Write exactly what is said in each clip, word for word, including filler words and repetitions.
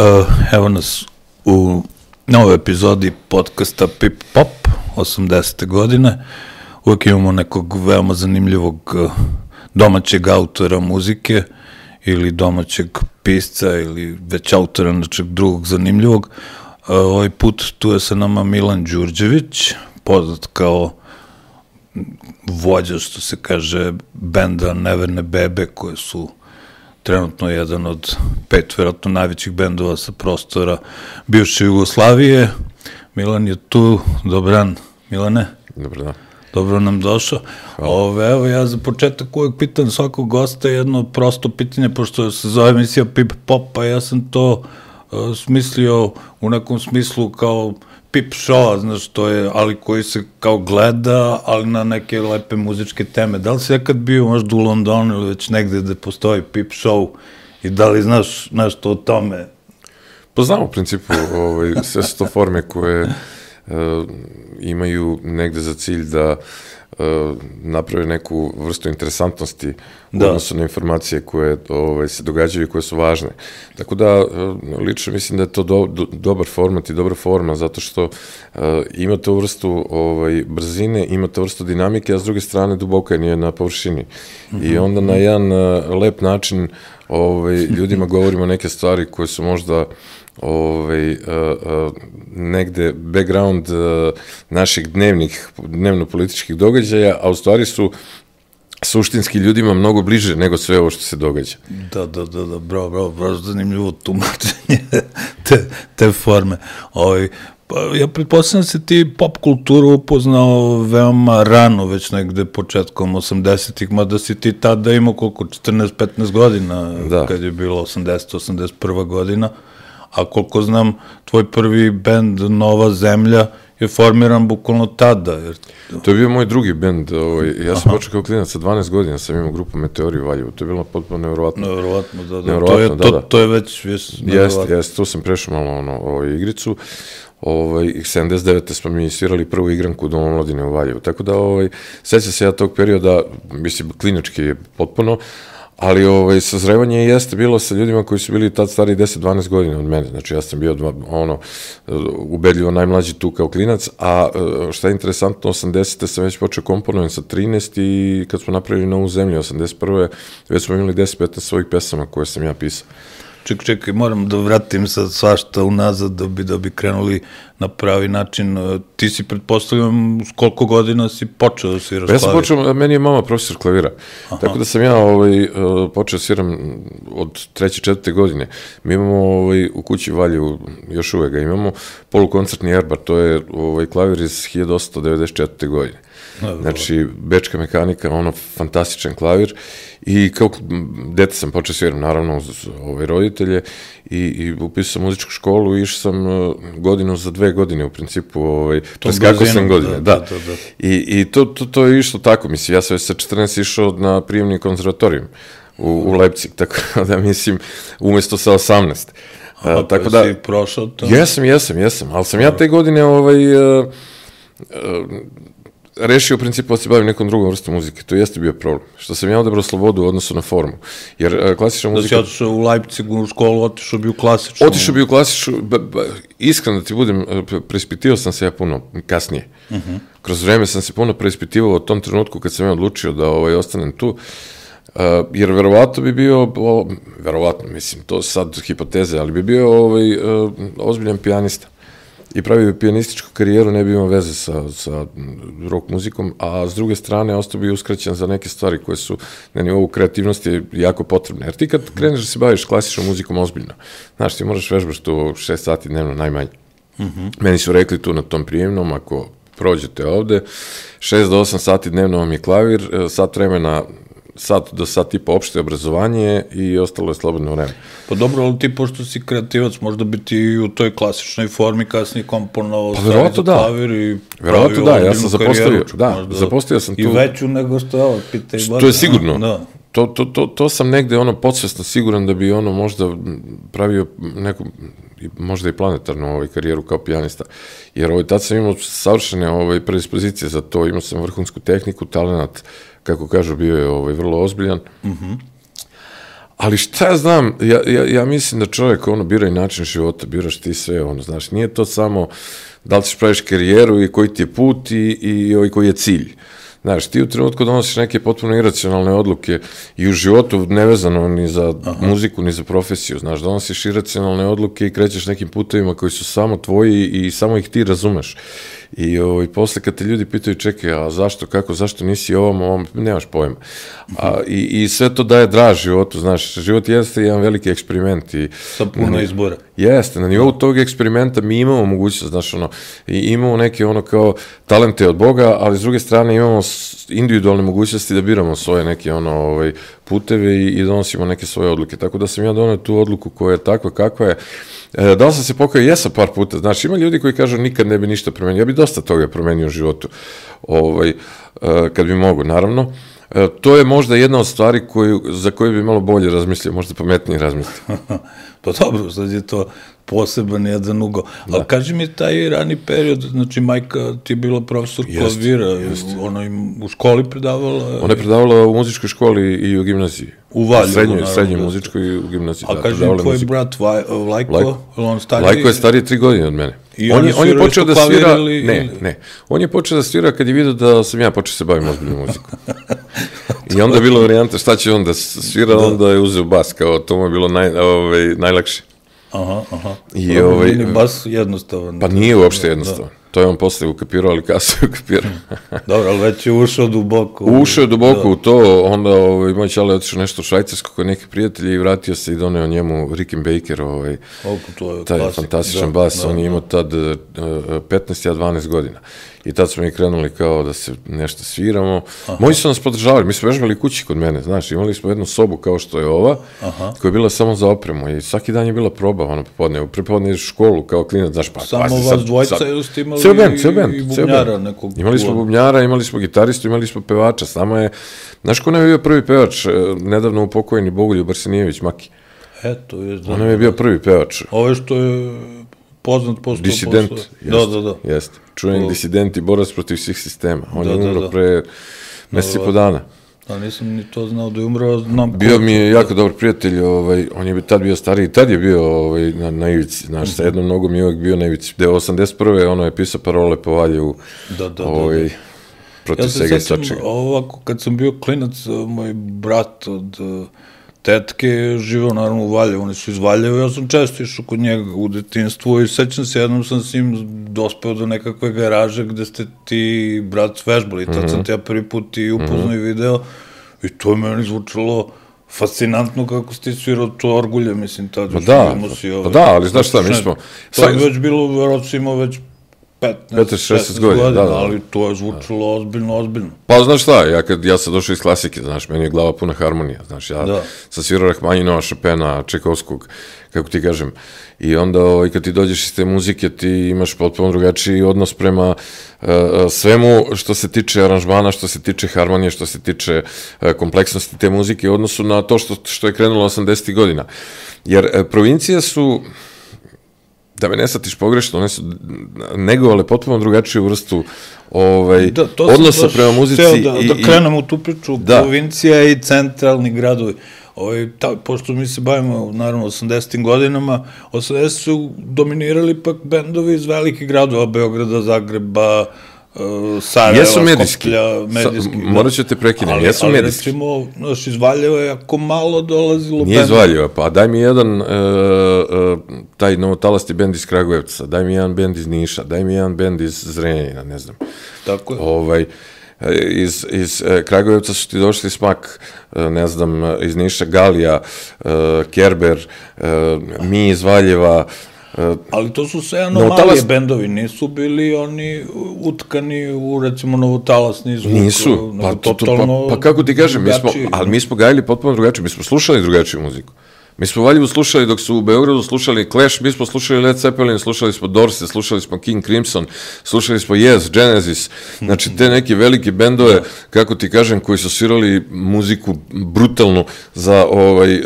Uh, evo nas u novoj epizodi podcasta Pip Pop osamdesete godine. Uvijek imamo nekog veoma zanimljivog domaćeg autora muzike ili domaćeg pisca ili već autora nečeg drugog zanimljivog. Uh, ovaj put tu je sa nama Milan Đurđević, poznat kao vođa, što se kaže, benda Neverne bebe, koje su trenutno jedan od pet, vjerojatno najvećih bendova sa prostora bivše Jugoslavije. Milan je tu. Dobran, Milane. Dobro, da. Dobro nam došao. Ove, evo, ja za početak uvijek pitam svakog gosta jedno prosto pitanje, pošto se zove emisija Pip Pop, pa ja sam to uh, smislio u nekom smislu kao pip show, znaš, to je, ali koji se kao gleda, ali na neke lepe muzičke teme. Da li si nekad bio možda u Londonu ili već negde gde postoji pip show i da li znaš nešto o tome? Pa znam u principu, ovaj, sve su to forme koje uh, imaju negde za cilj da uh, naprave neku vrstu interesantnosti u da. odnosu na informacije koje ovaj, se događaju i koje su važne. Tako da, uh, lično mislim da je to do, do, dobar format i dobra forma, zato što uh, ima to vrstu ovaj, brzine, ima to vrstu dinamike, a s druge strane duboka je na površini. Mm-hmm. I onda na jedan uh, lep način ovaj, ljudima govorimo neke stvari koje su možda ovaj, uh, uh, negde background uh, naših dnevnih, dnevno-političkih događaja, a u stvari su suštinski ljudima mnogo bliže nego sve ovo što se događa. Da, da, da, da, bravo, bravo, bravo, zanimljivo tumačenje te, te forme. Ovaj, pa, ja pretpostavljam da si ti pop kulturu upoznao veoma rano, već negde početkom osamdesetih, mada si ti tada imao koliko, četrnaest petnaest godina, da. Kad je bilo osamdeset osamdeset prva godina, a koliko znam, tvoj prvi bend Nova zemlja je formiran bukvalno tada. Jer... To je bio moj drugi bend. Ovaj, ja sam počeo kao klinac sa dvanaest godina, sam imao grupu Meteori u Valjevu. To je bilo potpuno nevjerovatno. Nevjerovatno, da, da. Nevjerovatno, to, je, da, to, da. to je već... Jeste, jeste, tu sam prešao malo ono, ovaj, igricu. Ovaj, sedamdeset devete smo mi svirali prvu igranku u Domu omladine u Valjevu. Tako da, ovaj, sećam se ja tog perioda, mislim, klinički je potpuno, ali ovaj, sazrevanje jeste bilo sa ljudima koji su bili tad stari deset dvanaest godina od mene. Znači, ja sam bio ono, ubedljivo najmlađi tu kao klinac, a šta je interesantno, osamdesete sam već počeo komponujem sa trinaest i kad smo napravili Novu zemlju, osamdeset prve već smo imali deset petnaest svojih pesama koje sam ja pisao. Čekaj, čekaj, moram da vratim sad svašta unazad da bi, da bi krenuli na pravi način. Ti si, pretpostavljam, s koliko godina si počeo da sviraš klavir? Ja sam počeo, meni je mama profesor klavira, Aha. tako da sam ja ovaj, počeo da sviram od treće, četvrte godine. Mi imamo ovaj, u kući Valjevu, još uvek ga imamo, polukoncertni erbar, to je ovaj, klavir iz hiljadu osamsto devedeset četvrte godine. Znači, bečka mehanika, ono, fantastičan klavir i kao dete sam počeo sviram, naravno, uz ove roditelje i, i upisao sam muzičku školu i išao sam uh, godinu za dve godine, u principu, ovaj, preskakao sam godine, da. da. da, da. I, i to, to, to je išlo tako, mislim, ja sam već sa četrnaest išao na prijemni konzervatorijum u, u Leipzig, tako da, mislim, umesto sa osamnaest. A, uh, tako da, si prošao to? Jesam, jesam, jesam, ali sam ja te godine, ovaj, uh, uh, rešio u principu da se bavim nekom drugom vrstom muzike. To jeste bio problem. Što sam ja odabrao slobodu u odnosu na formu. Jer uh, klasična muzika... Da si otišao u Leipzigu u školu, otišao bi u klasičnu... Otišao bi u klasičnu... Iskreno da ti budem, preispitio sam se ja puno kasnije. Uh -huh. Kroz vreme sam se puno preispitivao u tom trenutku kad sam ja odlučio da ovaj, ostanem tu. Uh, jer verovatno bi bio, o, verovatno, mislim, to sad hipoteze, ali bi bio ovaj, uh, ozbiljan pijanista. I pravio bi pijanističku karijeru, ne bi imao veze sa, sa rock muzikom, a s druge strane ostao bi uskraćen za neke stvari koje su na nivou kreativnosti jako potrebne. Jer ti kad kreneš da se baviš klasičnom muzikom ozbiljno, znaš, ti moraš vežbaš tu šest sati dnevno najmanje. Mm-hmm. Meni su rekli tu na tom prijemnom, ako prođete ovde, šest do osam sati dnevno vam je klavir, sat vremena sat do sat tipa opšte obrazovanje i ostalo je slobodno vreme. Pa dobro, ali ti, pošto si kreativac, možda bi ti u toj klasičnoj formi kasnije komponovao pa, stvari za da. Klavir i verovatno da, ja sam zapostavio, da, zapostavio sam tu. I veću nego što je ovo, pitaj. To je sigurno. Da. To, to, to, to sam negde ono podsvesno siguran da bi ono možda pravio neku, možda i planetarnu ovaj, karijeru kao pijanista. Jer ovaj, tad sam imao savršene ovaj, predispozicije za to, imao sam vrhunsku tehniku, talenat, kako kažu, bio je ovaj, vrlo ozbiljan. Mhm. Ali šta ja znam, ja, ja, ja mislim da čovjek ono bira i način života, biraš ti sve, ono, znaš, nije to samo da li ćeš praviš karijeru i koji ti je put i, i, i koji je cilj. Znaš, ti u trenutku donosiš neke potpuno iracionalne odluke i u životu nevezano ni za Aha. muziku, ni za profesiju, znaš, donosiš iracionalne odluke i krećeš nekim putevima koji su samo tvoji i samo ih ti razumeš. I ovaj, posle kad te ljudi pitaju, čekaj, a zašto, kako, zašto nisi ovom, ovom, nemaš pojma. A, i, I sve to daje draž životu, znaš, život jeste jedan veliki eksperiment. I, sa puno izbora. Jeste, na nivou tog eksperimenta mi imamo mogućnost, znaš, ono, i imamo neke, ono, kao talente od Boga, ali s druge strane imamo individualne mogućnosti da biramo svoje neke, ono, ovaj, puteve i, i donosimo neke svoje odluke. Tako da sam ja donio tu odluku koja je takva kakva je. E, da li sam se pokao? Jesam par puta. Znači, ima ljudi koji kažu nikad ne bi ništa promenio. Ja bi dosta toga promenio u životu, ovaj, e, kad bi mogu, naravno. E, to je možda jedna od stvari koju, za koju bi malo bolje razmislio, možda pametnije razmislio. Pa dobro, sad je to poseban jedan ugo. Da. Ali kaži mi taj rani period, znači majka ti je bila profesor klavira, ona im u školi predavala? Ona je predavala u muzičkoj školi i u gimnaziji. U Valjevu, srednjoj, srednjoj muzičkoj i u gimnaziji. A da, kaži mi, tvoj brat Lajko, Lajko, on stariji? Lajko je stariji tri godine od mene. I on, je, on je počeo da svira, ili, ne, ne, on je počeo da svira kad je vidio da sam ja počeo se bavim ozbiljnom muzikom. I onda je bilo varijanta šta će on da svira, da. Onda je uzeo bas, kao to mu je bilo naj, ovaj, najlakše. Aha, aha. I ovaj, nije bas jednostavan. Pa nije uopšte jednostavan. Da. To je on posle ukapirao, ali kasno je ukapirao. Dobro, ali već je ušao duboko. Ušao je duboko da. u to, onda ovaj, moj čale je otišao nešto u Švajcarsko kod neke prijatelji i vratio se i doneo njemu Rickenbacker, ovaj, to je taj klasik. fantastičan da, bas, da, on je da. imao tad uh, petnaest, ja dvanaest godina. I tad smo mi krenuli kao da se nešto sviramo. Aha. Moji su nas podržavali, mi smo vežbali kući kod mene, znaš, imali smo jednu sobu kao što je ova, Aha. koja je bila samo za opremu i svaki dan je bila proba, ono, popodne, prepodne ideš u školu kao klinac, znaš, pa... Samo vas sad, dvojca sad, ili ste imali band, i, band, i bubnjara nekog... Imali smo bubnjara, imali smo gitaristu, imali smo pevača, s nama je... Znaš ko nam je bio prvi pevač, nedavno upokojeni Bogoljub Arsenijević Maki? Eto, je znam. On nam je bio prvi pevač. Ovo što je... poznat postao disident, posle. Jest, da, da, da. Jeste. Čujem disident i borac protiv svih sistema. On da, je umro da, da. pre mesec i po dana. Da, nisam ni to znao da je umro, znam... Bio mi je jako dobar prijatelj, ovaj, on je tad bio stariji, tad je bio ovaj, na, na ivici, znaš, mm-hmm. sa jednom nogom je uvijek bio na ivici. Da je osamdeset prve ono je pisao parole po Valjevu, da, da, ovaj, da, da. protiv ja svega i svačega. Ja se sećam ovako, kad sam bio klinac, moj brat od... tetke je živao naravno u Valjevu, oni su iz Valjeva, ja sam često išao kod njega u detinjstvu i sećam se, jednom sam s njim dospeo do nekakve garaže gde ste ti brat vežbali, tad mm-hmm. sam te ja prvi put i upoznao mm-hmm. i video i to je meni zvučalo fascinantno kako ste svirao to orgulje, mislim, tad još da, si, ove, pa da, ali znaš šta, mi smo... To je već bilo, verovatno si imao već petnaest šesnaest godina, da, da. ali to je zvučalo ozbiljno, ozbiljno. Pa znaš šta, ja, kad, ja sam došao iz klasike, znaš, meni je glava puna harmonija, znaš, ja da. sam svirao Rahmaninova, Chopina, Čajkovskog, kako ti kažem, i onda ovaj, kad ti dođeš iz te muzike, ti imaš potpuno drugačiji odnos prema uh, svemu što se tiče aranžmana, što se tiče harmonije, što se tiče uh, kompleksnosti te muzike u odnosu na to što, što je krenulo osamdesetih godina. Jer uh, provincije su... da me ne shvatiš pogrešno, one su negovale potpuno drugačiju vrstu ovaj, da, odnosa prema muzici. Da, i, da krenemo u tu priču, da. Provincija i centralni gradovi. Ovaj, ta, pošto mi se bavimo, naravno, osamdesetim godinama, osamdesetih su dominirali pak bendovi iz velikih gradova, Beograda, Zagreba, Uh, Sarajeva, Skoplja, medijski. Sa, morat ću te prekinem, ali, jesu ali medijski. Ali recimo, znaš, iz Valjeva je jako malo dolazilo Nije iz Valjeva, pa daj mi jedan, uh, uh, taj novotalasti bend iz Kragujevca, daj mi jedan bend iz Niša, daj mi jedan bend iz Zrenjanina, ne znam. Tako je. Ovaj, iz, iz uh, Kragujevca su ti došli Smak, uh, ne znam, iz Niša Galija, uh, Kerber, uh, mi iz Valjeva. Uh, ali to su sve anomalije talas... bendovi, nisu bili oni utkani u, recimo, novotalasni zvuk. Nisu, pa, to, to, pa, pa kako ti kažem, mi smo, ali mi smo gajili potpuno drugačije, mi smo slušali drugačiju muziku. Mi smo u Valjevu slušali, dok su u Beogradu slušali Clash, mi smo slušali Led Zeppelin, slušali smo Dorse, slušali smo King Crimson, slušali smo Yes, Genesis, znači te neke velike bendove, kako ti kažem, koji su svirali muziku brutalnu za ovaj,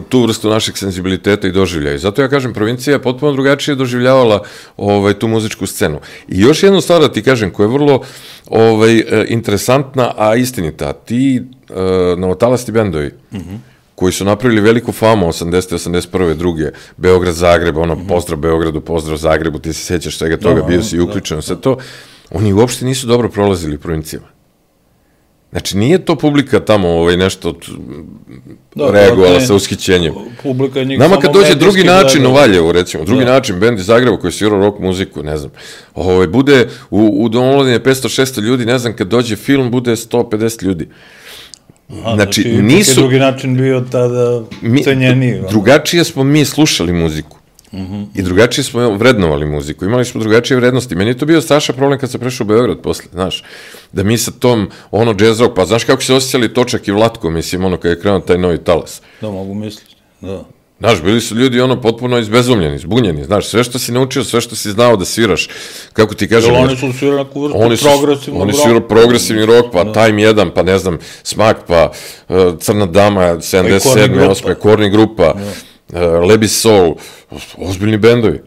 tu vrstu našeg senzibiliteta i doživljaja. I zato ja kažem, provincija je potpuno drugačije doživljavala ovaj, tu muzičku scenu. I još jednu stvar da ti kažem, koja je vrlo ovaj, interesantna, a istinita, ti uh, novotalasti bendovi, mm-hmm. koji su napravili veliku famu osamdesete, osamdeset prve, druge, Beograd, Zagreb, ono, pozdrav Beogradu, pozdrav Zagrebu, ti se sjećaš svega toga, bio si uključen, sve to, oni uopšte nisu dobro prolazili u provincijama. Znači, nije to publika tamo ovaj, nešto da, reagovala sa ushićenjem. Nama kad dođe drugi način gleda. U Valjevu, recimo, drugi da. način, bend iz Zagreba koji svirao rock muziku, ne znam, ovaj, bude u, u domolodine petsto šesto ljudi, ne znam, kad dođe film, bude sto pedeset ljudi. Aha, znači, znači nisu... drugi način bio tada cenjeniji. Drugačije smo mi slušali muziku. Uh-huh. I drugačije smo vrednovali muziku, imali smo drugačije vrednosti. Meni je to bio strašan problem kad sam prešao u Beograd posle, znaš, da mi sa tom, ono, jazz rock, pa znaš kako se osjećali Točak i Vlatko, mislim, ono, kad je krenuo taj novi talas. Da, mogu misliti, da. Znaš, bili su ljudi, ono, potpuno izbezumljeni, zbunjeni, znaš, sve što si naučio, sve što si znao da sviraš, kako ti kažem... Jel oni su svirali neku vrstu progresivnog roka? Oni su svirali progresivni rock, pa Time jedan, pa ne znam, Smak, pa uh, Crna dama, sedamdeset sedme, osme, Korni grupa, Uh, Lebi Soul, ozbiljni bendovi.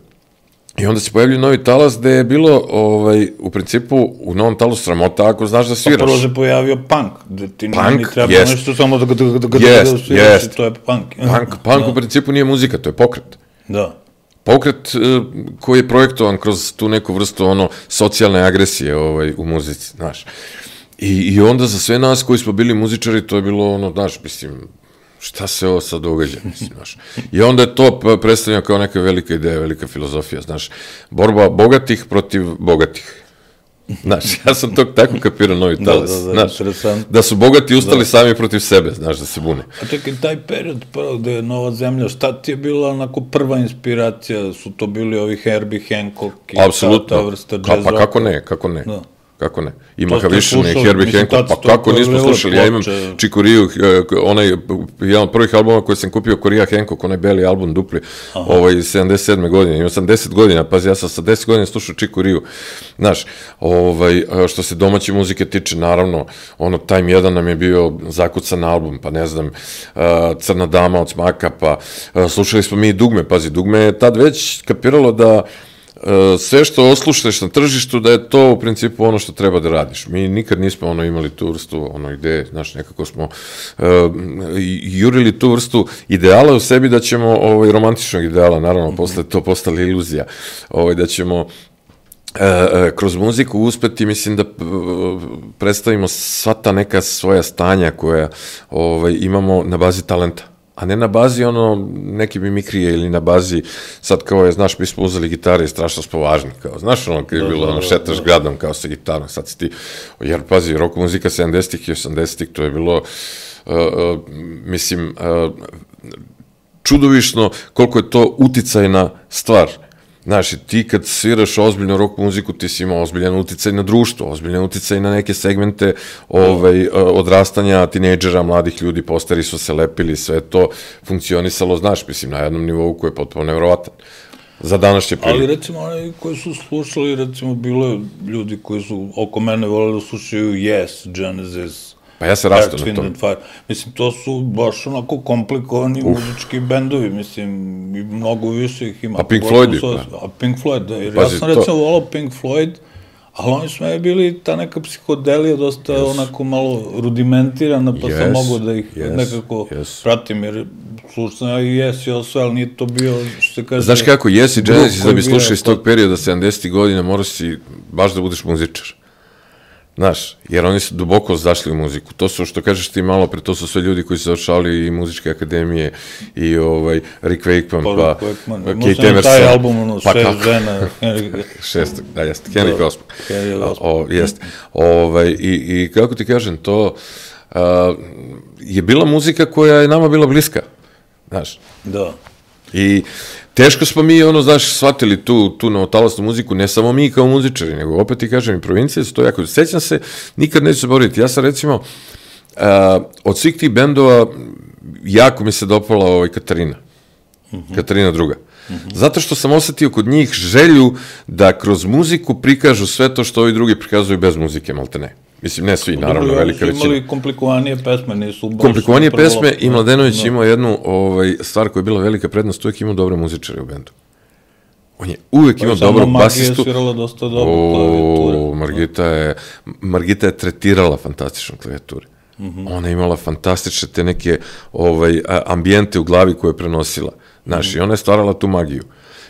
I onda se pojavljaju novi talas gde je bilo, ovaj, u principu, u novom talasu sramota ako znaš da sviraš. Pa prvo se pojavio punk, gde ti punk, nije treba jest. nešto samo da ga da, da, da, jest, da sviraš jest. I to je punk. Punk, punk da. U principu nije muzika, to je pokret. Da. Pokret uh, koji je projektovan kroz tu neku vrstu ono, socijalne agresije ovaj, u muzici, znaš. I, I onda za sve nas koji smo bili muzičari, to je bilo ono, znaš, mislim, šta se ovo sad događa, mislim, znaš. I onda je to predstavljeno kao neka velika ideja, velika filozofija, znaš. Borba bogatih protiv bogatih. Znaš, ja sam to tako kapirao novi talas, da, da, da, znaš, da su bogati ustali da. Sami protiv sebe, znaš, da se bune. A čekaj, taj period prvo gde je Nova zemlja, šta ti je bila onako prva inspiracija, su to bili ovi Herbie Hancock i apsolutno. Ta, ta vrsta jazz Ka, pa kako ne, kako ne. Da. Kako ne? Ima Havišin i Herbie Hancock, pa kako nismo slušali? Ja imam Chico Riju, onaj, jedan od prvih albuma koji sam kupio Korija Hancock, onaj beli album dupli, ovaj, sedamdeset sedme godine, imam sam deset godina, pazi, ja sam sa deset godina slušao Chico Riju, znaš, ovaj, što se domaće muzike tiče, naravno, ono, Time jedan nam je bio zakucan album, pa ne znam, Crna dama od Smaka, pa slušali smo mi i Dugme, pazi, Dugme je tad već kapiralo da sve što osluštaš na tržištu, da je to u principu ono što treba da radiš. Mi nikad nismo ono imali tu vrstu ono ideje, znaš, nekako smo uh, jurili tu vrstu ideala u sebi da ćemo, ovaj, romantičnog ideala, naravno, posle to postala iluzija, ovaj, da ćemo Uh, uh, kroz muziku uspeti, mislim da uh, predstavimo sva ta neka svoja stanja koja ovaj, imamo na bazi talenta. A ne na bazi ono neke mimikrije ili na bazi, sad kao je, znaš, mi smo uzeli gitare i strašno smo važni, kao, znaš, ono, kad je bilo, ono, šetaš gradom kao sa gitarom, sad si ti, jer, pazi, rock muzika sedamdesetih i osamdesetih, to je bilo, uh, uh, mislim, uh, čudovišno koliko je to uticajna stvar. Znaš, ti kad sviraš ozbiljno rock muziku, ti si imao ozbiljan uticaj na društvo, ozbiljan uticaj na neke segmente ovaj, odrastanja tinejdžera, mladih ljudi, posteri su se lepili, sve to funkcionisalo, znaš, mislim, na jednom nivou koji je potpuno nevjerovatan. Za današnje prilike. Ali recimo oni koji su slušali, recimo bilo ljudi koji su oko mene voleli da slušaju Yes, Genesis, pa ja se rastao na to. Mislim, to su baš onako komplikovani Uf. muzički bendovi, mislim, i mnogo više ih ima. A Pink Floyd? Pa. A Pink Floyd, da, jer Pazi, ja sam recimo to... volao Pink Floyd, ali oni su me bili ta neka psihodelija dosta yes. onako malo rudimentirana, pa yes. sam mogao da ih yes. nekako yes. pratim, jer slušam ja i Yes i ovo sve, ali nije to bio, što se kaže... Znaš kako, Yes i Genesis, da bi slušao iz tog perioda sedamdesetih godina, moraš si baš da budeš muzičar. Znaš, jer oni su duboko zašli u muziku. To su, što kažeš ti malo pre, to su sve ljudi koji su završali i muzičke akademije, i ovaj, Rick Wakeman, pa, pa Kate Emerson. Taj album, ono, pa, šest žena. Šest, da, jeste, Henry Osmond. Henry Osmond. Jeste. Ovaj, i, I kako ti kažem, to a, je bila muzika koja je nama bila bliska. Znaš. Da. I teško smo mi, ono, znaš, shvatili tu, tu novotalasnu muziku, ne samo mi kao muzičari, nego opet ti kažem, i provincije su to jako... Sećam se, nikad neću zaboraviti, ja sam recimo, uh, od svih tih bendova, jako mi se dopala ovaj Katarina, uh-huh. Katarina druga. Uh-huh. Zato što sam osetio kod njih želju da kroz muziku prikažu sve to što ovi drugi prikazuju bez muzike, malte ne. Mislim, ne svi, naravno, velika većina. Imali komplikovanije pesme, nisu baš... Komplikovanije pesme, i Mladenović imao jednu ovaj, stvar koja je bila velika prednost, uvijek imao dobre muzičare u bendu. On je uvijek imao dobro basistu. Margita je svirala dosta dobro klavijature. Margita je, Margita je tretirala fantastično klavijaturi. Mm-hmm. Ona je imala fantastične te neke ovaj, ambijente u glavi koje je prenosila. Znaš, mm-hmm. i ona je stvarala tu magiju.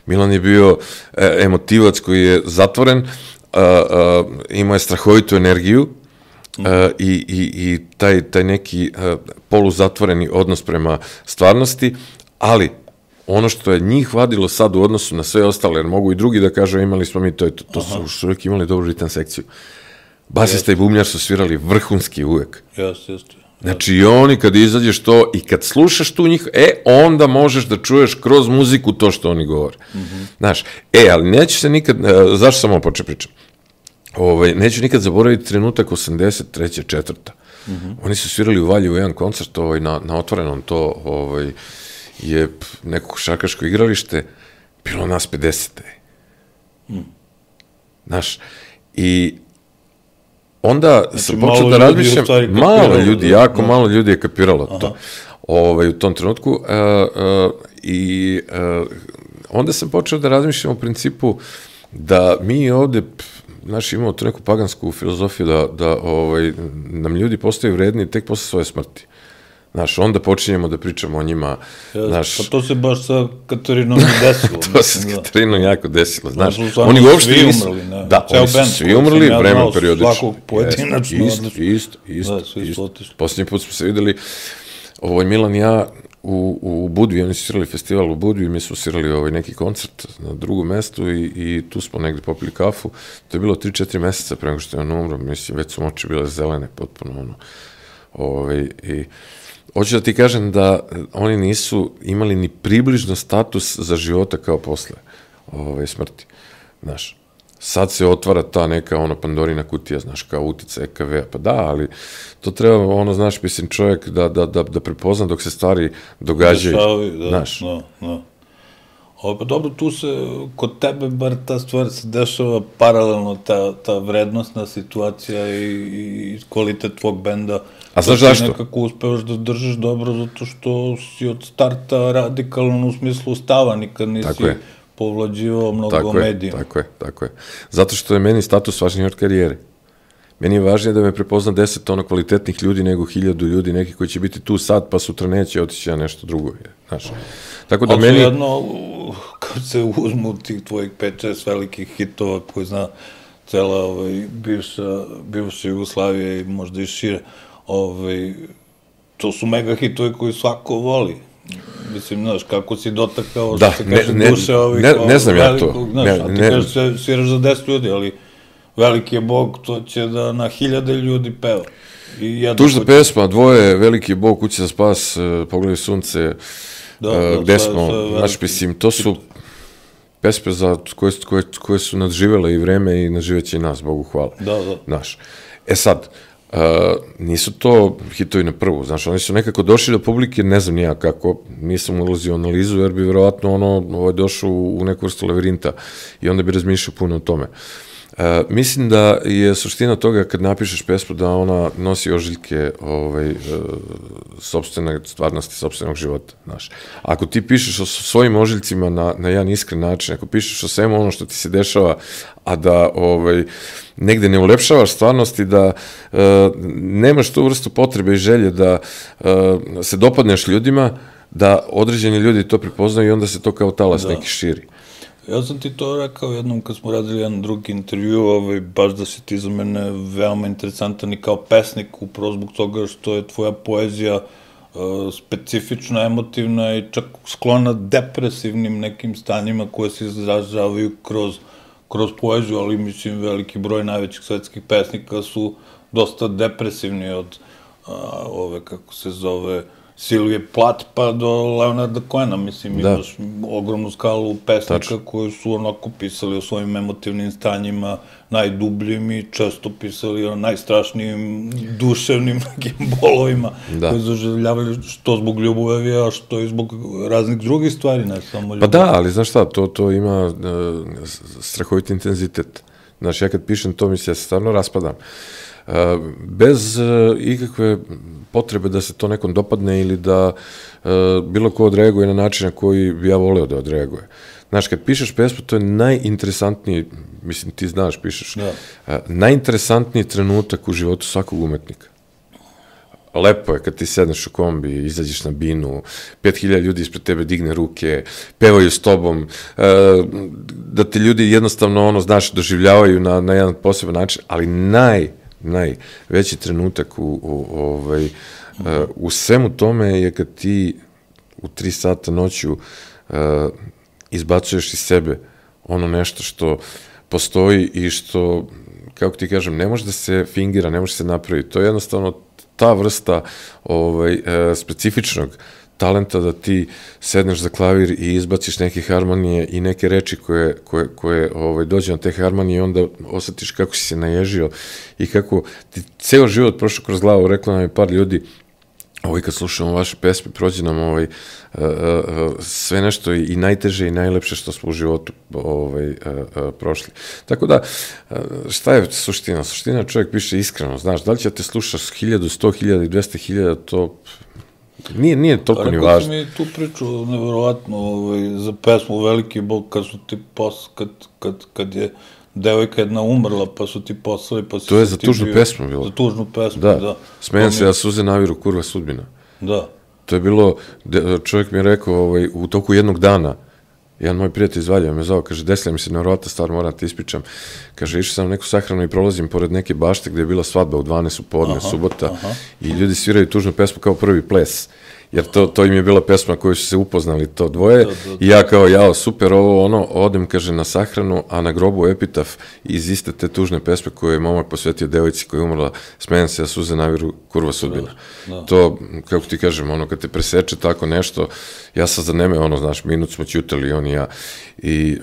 Milan je bio e, emotivac koji je zatvoren, a, a, imao je strahovitu energiju mm-hmm. a, i, i, i taj, taj neki a, poluzatvoreni odnos prema stvarnosti, ali ono što je njih vadilo sad u odnosu na sve ostale, jer mogu i drugi da kažu imali smo mi, to, je, to, to su, su uvijek imali dobru ritam sekciju. Basista i bubnjar su svirali vrhunski uvek. Jeste, jeste. Znači i oni kad izađeš to i kad slušaš tu njih, e, onda možeš da čuješ kroz muziku to što oni govore. Mm-hmm. Znaš, e, ali neću se nikad, zašto sam ovo počeo pričam? Ovaj, neću nikad zaboraviti trenutak osamdeset treće četvrta Mm-hmm. Oni su svirali u Valjevu jedan koncert ovaj, na, na otvorenom, to ovaj, je neko košarkaško igralište, bilo nas pedeset Mm. Znaš, i onda znači, sam počeo da razmišljam, malo ljudi, jako da. malo ljudi je kapiralo Aha. to ovaj, u tom trenutku uh, uh, i uh, onda sam počeo da razmišljam u principu da mi ovde, znaš, imamo tu neku pagansku filozofiju da, da ovaj, nam ljudi postaju vredni tek posle svoje smrti. Znaš, onda počinjemo da pričamo o njima. Ja, znaš, pa to se baš sa Katarinom desilo. to se sa Katarinom jako desilo, znaš. Oni uopšte svi nisu... umrli, ne. Da, Ceo oni su band, svi umrli, ja vreme periodično. Svakog pojedinačno. Isto, isto, isto. Da, svi su otišli. Posljednji put smo se videli, ovaj Milan i ja u, u Budvi, oni su svirali festival u Budvi, mi smo svirali ovaj neki koncert na drugom mestu i, i tu smo negde popili kafu. To je bilo tri četiri meseca pre nego što je on umro, mislim, već su oči bile zelene, potpuno ono. Ovaj, i hoću da ti kažem da oni nisu imali ni približno status za života kao posle ove smrti. Znaš, sad se otvara ta neka ono Pandorina kutija, znaš, kao utica E K V-a, pa da, ali to treba, ono, znaš, mislim, čovjek da, da, da, da prepozna dok se stvari događaju, Dešavi, da, znaš. Da, da. O, pa dobro, tu se, kod tebe bar ta stvar se dešava paralelno, ta, ta vrednostna situacija i, i kvalitet tvog benda. A znaš zašto? Nekako uspevaš da držiš dobro, zato što si od starta radikalan u smislu stava, nikad nisi povlađivao mnogo tako medijima. Je, tako je, tako je. Zato što je meni status važniji od karijere. Meni je važnije da me prepozna deset tona kvalitetnih ljudi nego hiljadu ljudi, neki koji će biti tu sad, pa sutra neće otići na nešto drugo. Znaš. Tako da ali meni... jedno, kad se uzmu tih tvojih pet šest velikih hitova koji zna cela ovaj, bivša, bivša Jugoslavija i možda i šire, ovaj, to su mega hitovi koji svako voli. Mislim, znaš, kako si dotakao, da, što se kaže, ne, duše ovih... Ne, ne znam velikog, ja to. Znaš, ne, a ti ne, kažeš, se, sviraš za deset ljudi, ali veliki je Bog, to će da na hiljade ljudi peva. Tužna pesma, dvoje, veliki je Bog, kuće za spas, uh, Pogledaj sunce, da, uh, da, gde smo, znači, mislim, to su pesme za, koje, koje, koje su nadživele i vreme i nadživeće i nas, Bogu hvala. Da, da. Znaš, e sad, uh, nisu to hitovi na prvu, znaš, oni su nekako došli do publike, ne znam nija kako, nisam ulazio u analizu, jer bi verovatno ono, ovaj, došao u neku vrstu lavirinta i onda bi razmišljao puno o tome. Uh, mislim da je suština toga kad napišeš pesmu da ona nosi ožiljke ovaj, uh, sopstvene stvarnosti, sopstvenog života, znaš. Ako ti pišeš o svojim ožiljcima na, na jedan iskren način, ako pišeš o svemu ono što ti se dešava, a da ovaj, negde ne ulepšavaš stvarnost i da uh, nemaš tu vrstu potrebe i želje da uh, se dopadneš ljudima, da određeni ljudi to prepoznaju i onda se to kao talas da. neki širi. Ja sam ti to rekao jednom kad smo radili jedan drugi intervju, ovaj, baš da si ti za mene veoma interesantan i kao pesnik, upravo zbog toga što je tvoja poezija uh, specifična, emotivna i čak sklona depresivnim nekim stanjima koje se izražavaju kroz, kroz poeziju, ali mislim veliki broj najvećih svetskih pesnika su dosta depresivni od uh, ove, kako se zove, Silvije Plat pa do Leonarda Cohena, mislim, da. Imaš ogromnu skalu pesnika Tačno. koji su onako pisali o svojim emotivnim stanjima, najdubljim i često pisali o najstrašnijim duševnim nekim bolovima da. koji zaželjavali što zbog ljubavi, a što i zbog raznih drugih stvari, ne samo ljubavi. Pa da, ali znaš šta, to, to ima uh, strahovit intenzitet. Znaš, ja kad pišem to, mislim, ja se stvarno raspadam. Uh, bez uh, ikakve potrebe da se to nekom dopadne ili da uh, bilo ko odreaguje na način na koji bi ja voleo da odreaguje. Znaš, kad pišeš pesmu, to je najinteresantniji, mislim, ti znaš, pišeš, da. uh, najinteresantniji trenutak u životu svakog umetnika. lepo je kad ti sedneš u kombi, izađeš na binu, pet hiljada ljudi ispred tebe digne ruke, pevaju s tobom, da te ljudi jednostavno, ono, znaš, doživljavaju na, na jedan poseban način, ali naj, najveći trenutak u, u, ovaj, u svemu tome je kad ti u tri sata noću izbacuješ iz sebe ono nešto što postoji i što, kako ti kažem, ne može da se fingira, ne može se napraviti. To je jednostavno ta vrsta ovaj, e, specifičnog talenta da ti sedneš za klavir i izbaciš neke harmonije i neke reči koje, koje, koje ovaj, dođe na te harmonije i onda osjetiš kako si se naježio i kako ti ceo život prošao kroz glavu. Rekla nam je par ljudi, ovaj, kad slušamo vaše pesme, prođe nam ovaj, uh, uh, sve nešto i, i najteže i najlepše što smo u životu ovaj, uh, uh, prošli. Tako da, uh, šta je suština? Suština čovjek piše iskreno, znaš, da li će te slušati hiljadu, sto hiljada i dvesta hiljada, to nije, nije toliko ni važno. Rekao sam mi tu priču, nevjerovatno, ovaj, za pesmu Veliki Bog, kad su ti pos, kad, kad, kad je devojka jedna umrla, pa su ti poslali, pa si... To je za tužnu bio, pesmu bilo. Za tužnu pesmu, da. da. Smijem se, ja suze naviru, kurva sudbina. Da. To je bilo, čovjek mi je rekao, ovaj, u toku jednog dana, jedan moj prijatelj iz Valja me zove, kaže, desila mi se nevjerovatna stvar, moram ti ispričam. Kaže, išao sam na neku sahranu i prolazim pored neke bašte gde je bila svadba u dvanaest u podne, subota, aha. I ljudi sviraju tužnu pesmu kao prvi ples. Jer to, to im je bila pesma koju su se upoznali to dvoje, da, da, da. I ja kao, jao, super, ovo, ono, odem, kaže, na sahranu, a na grobu epitaf iz iste te tužne pesme koje je momak posvetio devojci koja je umrla, smijem se, a suze naviru, kurva sudbina. Da, da. To, kako ti kažem, ono, kad te preseče tako nešto, ja sam za neme, ono, znaš, minut smo ćutali, on i ja, i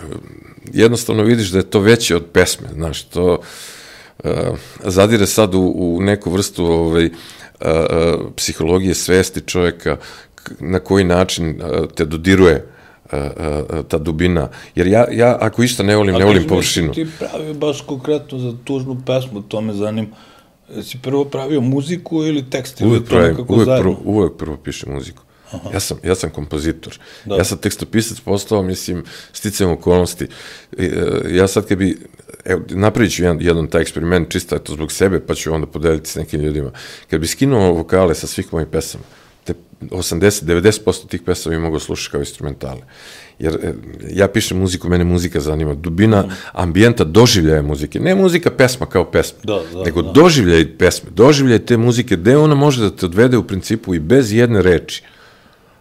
jednostavno vidiš da je to veće od pesme, znaš, to uh, zadire sad u, u neku vrstu, ovaj, Uh, uh, psihologije svesti čovjeka, na koji način uh, te dodiruje uh, uh, ta dubina. Jer ja, ja ako išta ne volim, ne volim površinu. A ti pravio baš konkretno za tužnu pesmu, to me zanim. Si prvo pravio muziku ili tekst? Uvijek pravim, uvijek prvo, uvijek prvo pišem muziku. Ja sam, ja sam kompozitor. Da. Ja sam tekstopisac postao, mislim, sticajem okolnosti. Ja sad kad bi, evo, napravit ću jedan, jedan taj eksperiment, čisto je to zbog sebe, pa ću onda podeliti s nekim ljudima. Kad bi skinuo vokale sa svih mojih pesama, te osamdeset do devedeset posto tih pesama bi mogo slušati kao instrumentale. Jer ja pišem muziku, mene muzika zanima, dubina mm. ambijenta doživljaja muzike. Ne muzika pesma kao pesma, da, da, nego da. doživljaj pesme, doživljaj te muzike, gde ona može da te odvede u principu i bez jedne reči.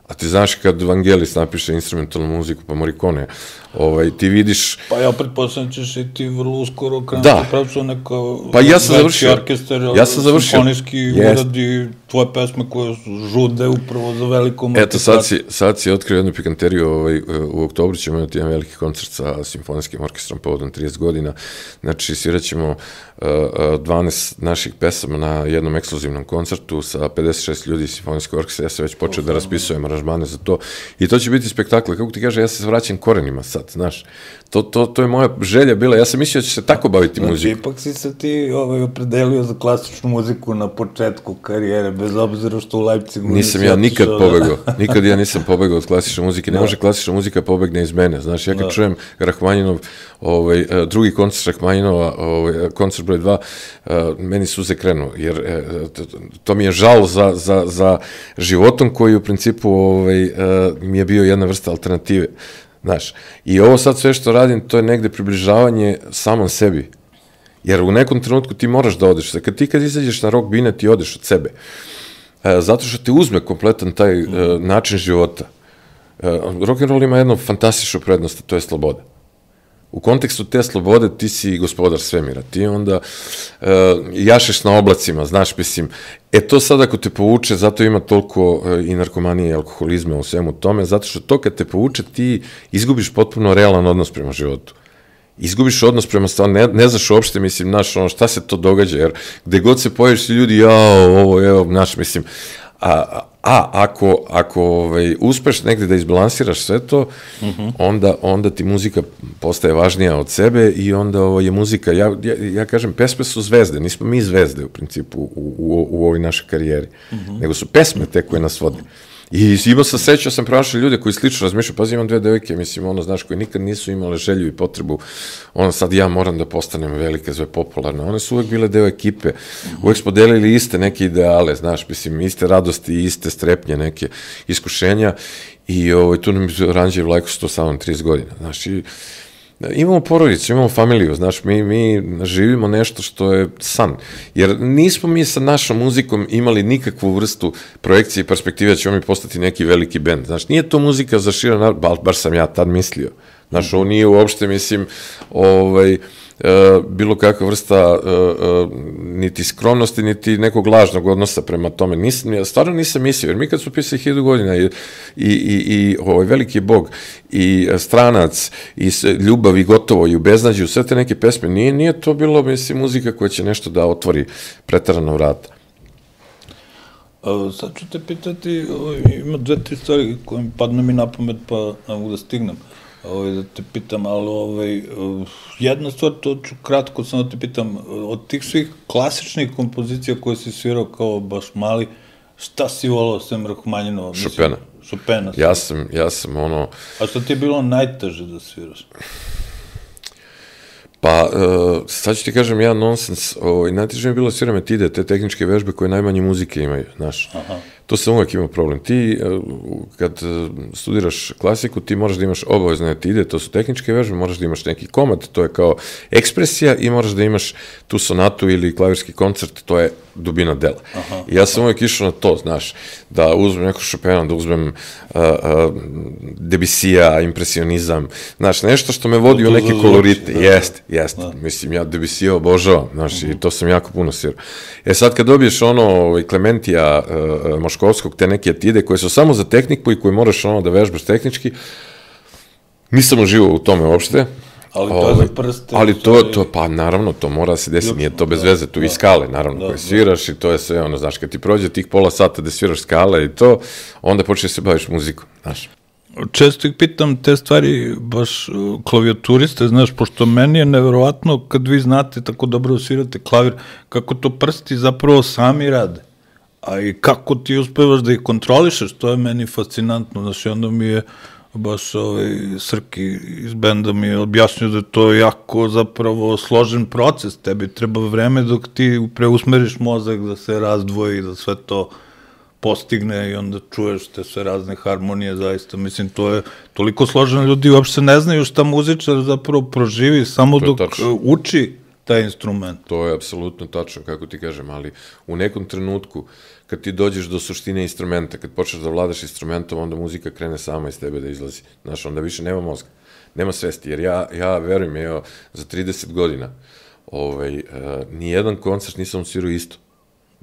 A ti znaš kad Vangelis napiše instrumentalnu muziku, pa Morricone, ovaj, ti vidiš... Pa ja pretpostavljam ćeš i ti vrlo uskoro krenuti pravcu neko pa ja sam završio, orkestar, ja sam završio, simfonijski uradi tvoje pesme koje su žude upravo za velikom... Eto, sad si, sad si otkrio jednu pikanteriju, ovaj, u oktobru ćemo imati jedan veliki koncert sa simfonijskim orkestrom povodom trideset godina, znači svirat ćemo uh, dvanaest naših pesama na jednom ekskluzivnom koncertu sa pedeset šest ljudi iz simfonijskog orkestra, ja sam već počeo da raspisujem aranžmane za to i to će biti spektakl. Kako ti kaže, ja se vraćam korenima sad, znaš, to, to, to je moja želja bila, ja sam mislio da će se tako baviti znači, muziku. Ipak si se ti ovaj, opredelio za klasičnu muziku na početku karijere, bez obzira što u Leipzigu... Nisam ja nikad da... pobegao, nikad ja nisam pobegao od klasične muzike, ne da. Može klasična muzika pobegne iz mene, znaš, ja kad da. Čujem Rahmaninov, ovaj, drugi koncert Rahmaninova, ovaj, koncert broj dva, meni suze krenu, jer to mi je žal za, za, za životom koji u principu ovaj, mi je bio jedna vrsta alternative. Znaš, i ovo sad sve što radim, to je negde približavanje samom sebi. Jer u nekom trenutku ti moraš da odeš. Kad ti kad izađeš na rock bine, ti odeš od sebe. E, zato što te uzme kompletan taj e, način života. E, rock'n'roll ima jednu fantastičnu prednost, to je sloboda. U kontekstu te slobode ti si gospodar svemira. Ti onda e, jašeš na oblacima, znaš, mislim, e to sad ako te povuče, zato ima toliko e, i narkomanije i alkoholizma u svemu tome, zato što to kad te povuče, ti izgubiš potpuno realan odnos prema životu. Izgubiš odnos prema stvari, ne, ne znaš uopšte, mislim, znaš, ono, šta se to događa, jer gde god se pojaviš, ljudi, jao, ovo, evo, znaš, mislim, a, a ako, ako ovaj, uspeš negde da izbalansiraš sve to, uh -huh. onda, onda ti muzika postaje važnija od sebe i onda ovo je muzika, ja, ja, ja kažem, pesme su zvezde, nismo mi zvezde u principu u, u, u ovoj našoj karijeri, uh -huh. nego su pesme te koje nas vode. I imao sam srećao sam pronašao ljude koji slično razmišljaju, pazi, imam dve devojke, mislim, ono, znaš, koji nikad nisu imale želju i potrebu, ono, sad ja moram da postanem velika, zove popularna, one su uvek bile deo ekipe, uvek smo delili iste neke ideale, znaš, mislim, iste radosti, iste strepnje, neke iskušenja i ovaj, tu nam je Ranđe i Vlajko su to samo trideset godina, znaš, i imamo porodicu, imamo familiju, znaš, mi, mi živimo nešto što je san, jer nismo mi sa našom muzikom imali nikakvu vrstu projekcije i perspektive da ćemo mi postati neki veliki bend, znaš, nije to muzika za širan narod, bar, bar sam ja tad mislio, znaš, ovo nije uopšte, mislim, ovaj, Uh, bilo kakva vrsta uh, uh, niti skromnosti, niti nekog lažnog odnosa prema tome. Nisam, ja stvarno nisam mislio, jer mi kad su pisali hiljadu godina i, i, i, i ovaj veliki bog i stranac i ljubav i gotovo i u beznađu, sve te neke pesme, nije, nije to bilo, mislim, muzika koja će nešto da otvori pretarano vrata. Uh, sad ću te pitati, ovaj, ima dve, tri stvari koje mi padne mi na pamet pa ne mogu da stignem. Ovaj, da te pitam, ali ovaj, jedna stvar, to ću kratko samo da te pitam, od tih svih klasičnih kompozicija koje si svirao kao baš mali, šta si volao sem Rahmanjinova? Chopina. Chopina. Ja sam, ja sam ono... A što ti je bilo najteže da sviraš? Pa, uh, sad ću ti kažem ja nonsens, ovaj, najteže mi je bilo sviram etide, te tehničke vežbe koje najmanje muzike imaju, znaš. Aha. To sam uvek imao problem. Ti, kad studiraš klasiku, ti moraš da imaš obavezne etide, to su tehničke vežbe, moraš da imaš neki komad, to je kao ekspresija i moraš da imaš tu sonatu ili klavirski koncert, to je dubina dela. Aha, I ja sam aha. uvek išao na to, znaš, da uzmem neko Chopina, da uzmem uh, uh, Debussija, impresionizam, znaš, nešto što me vodi to, to u neke kolorite. Da, jest, jest. Da. Mislim, ja Debussija obožavam, znaš, uh -huh. i to sam jako puno svirao. E sad, kad dobiješ ono, Klementija, uh, Moškovskog, te neke etide koje su samo za tehniku i koje moraš ono da vežbaš tehnički, nisam uživao u tome uopšte. Ali to je za prste. Ali to, to, pa naravno, to mora da se desi, nije to bez veze, tu i skale, naravno, koje sviraš i to je sve, ono, znaš, kad ti prođe tih pola sata da sviraš skale i to, onda počneš se baviš muzikom, znaš. Često ih pitam te stvari, baš klavijaturiste, znaš, pošto meni je neverovatno kad vi znate tako dobro svirate klavir, kako to prsti zapravo sami rade. A i kako ti uspevaš da ih kontrolišeš, to je meni fascinantno, znaš, i onda mi je baš ovaj Srki iz benda mi je objasnio da je to jako zapravo složen proces, tebi treba vreme dok ti preusmeriš mozak da se razdvoji, da sve to postigne i onda čuješ te sve razne harmonije, zaista, mislim, to je toliko složeno, ljudi uopšte ne znaju šta muzičar zapravo proživi, samo dok tačno. Uči taj instrument. To je apsolutno tačno, kako ti kažem, ali u nekom trenutku, kad ti dođeš do suštine instrumenta, kad počneš da vladaš instrumentom, onda muzika krene sama iz tebe da izlazi. Znaš, onda više nema mozga, nema svesti, jer ja, ja verujem, evo, za trideset godina, ovaj, uh, nijedan koncert nisam svirao isto.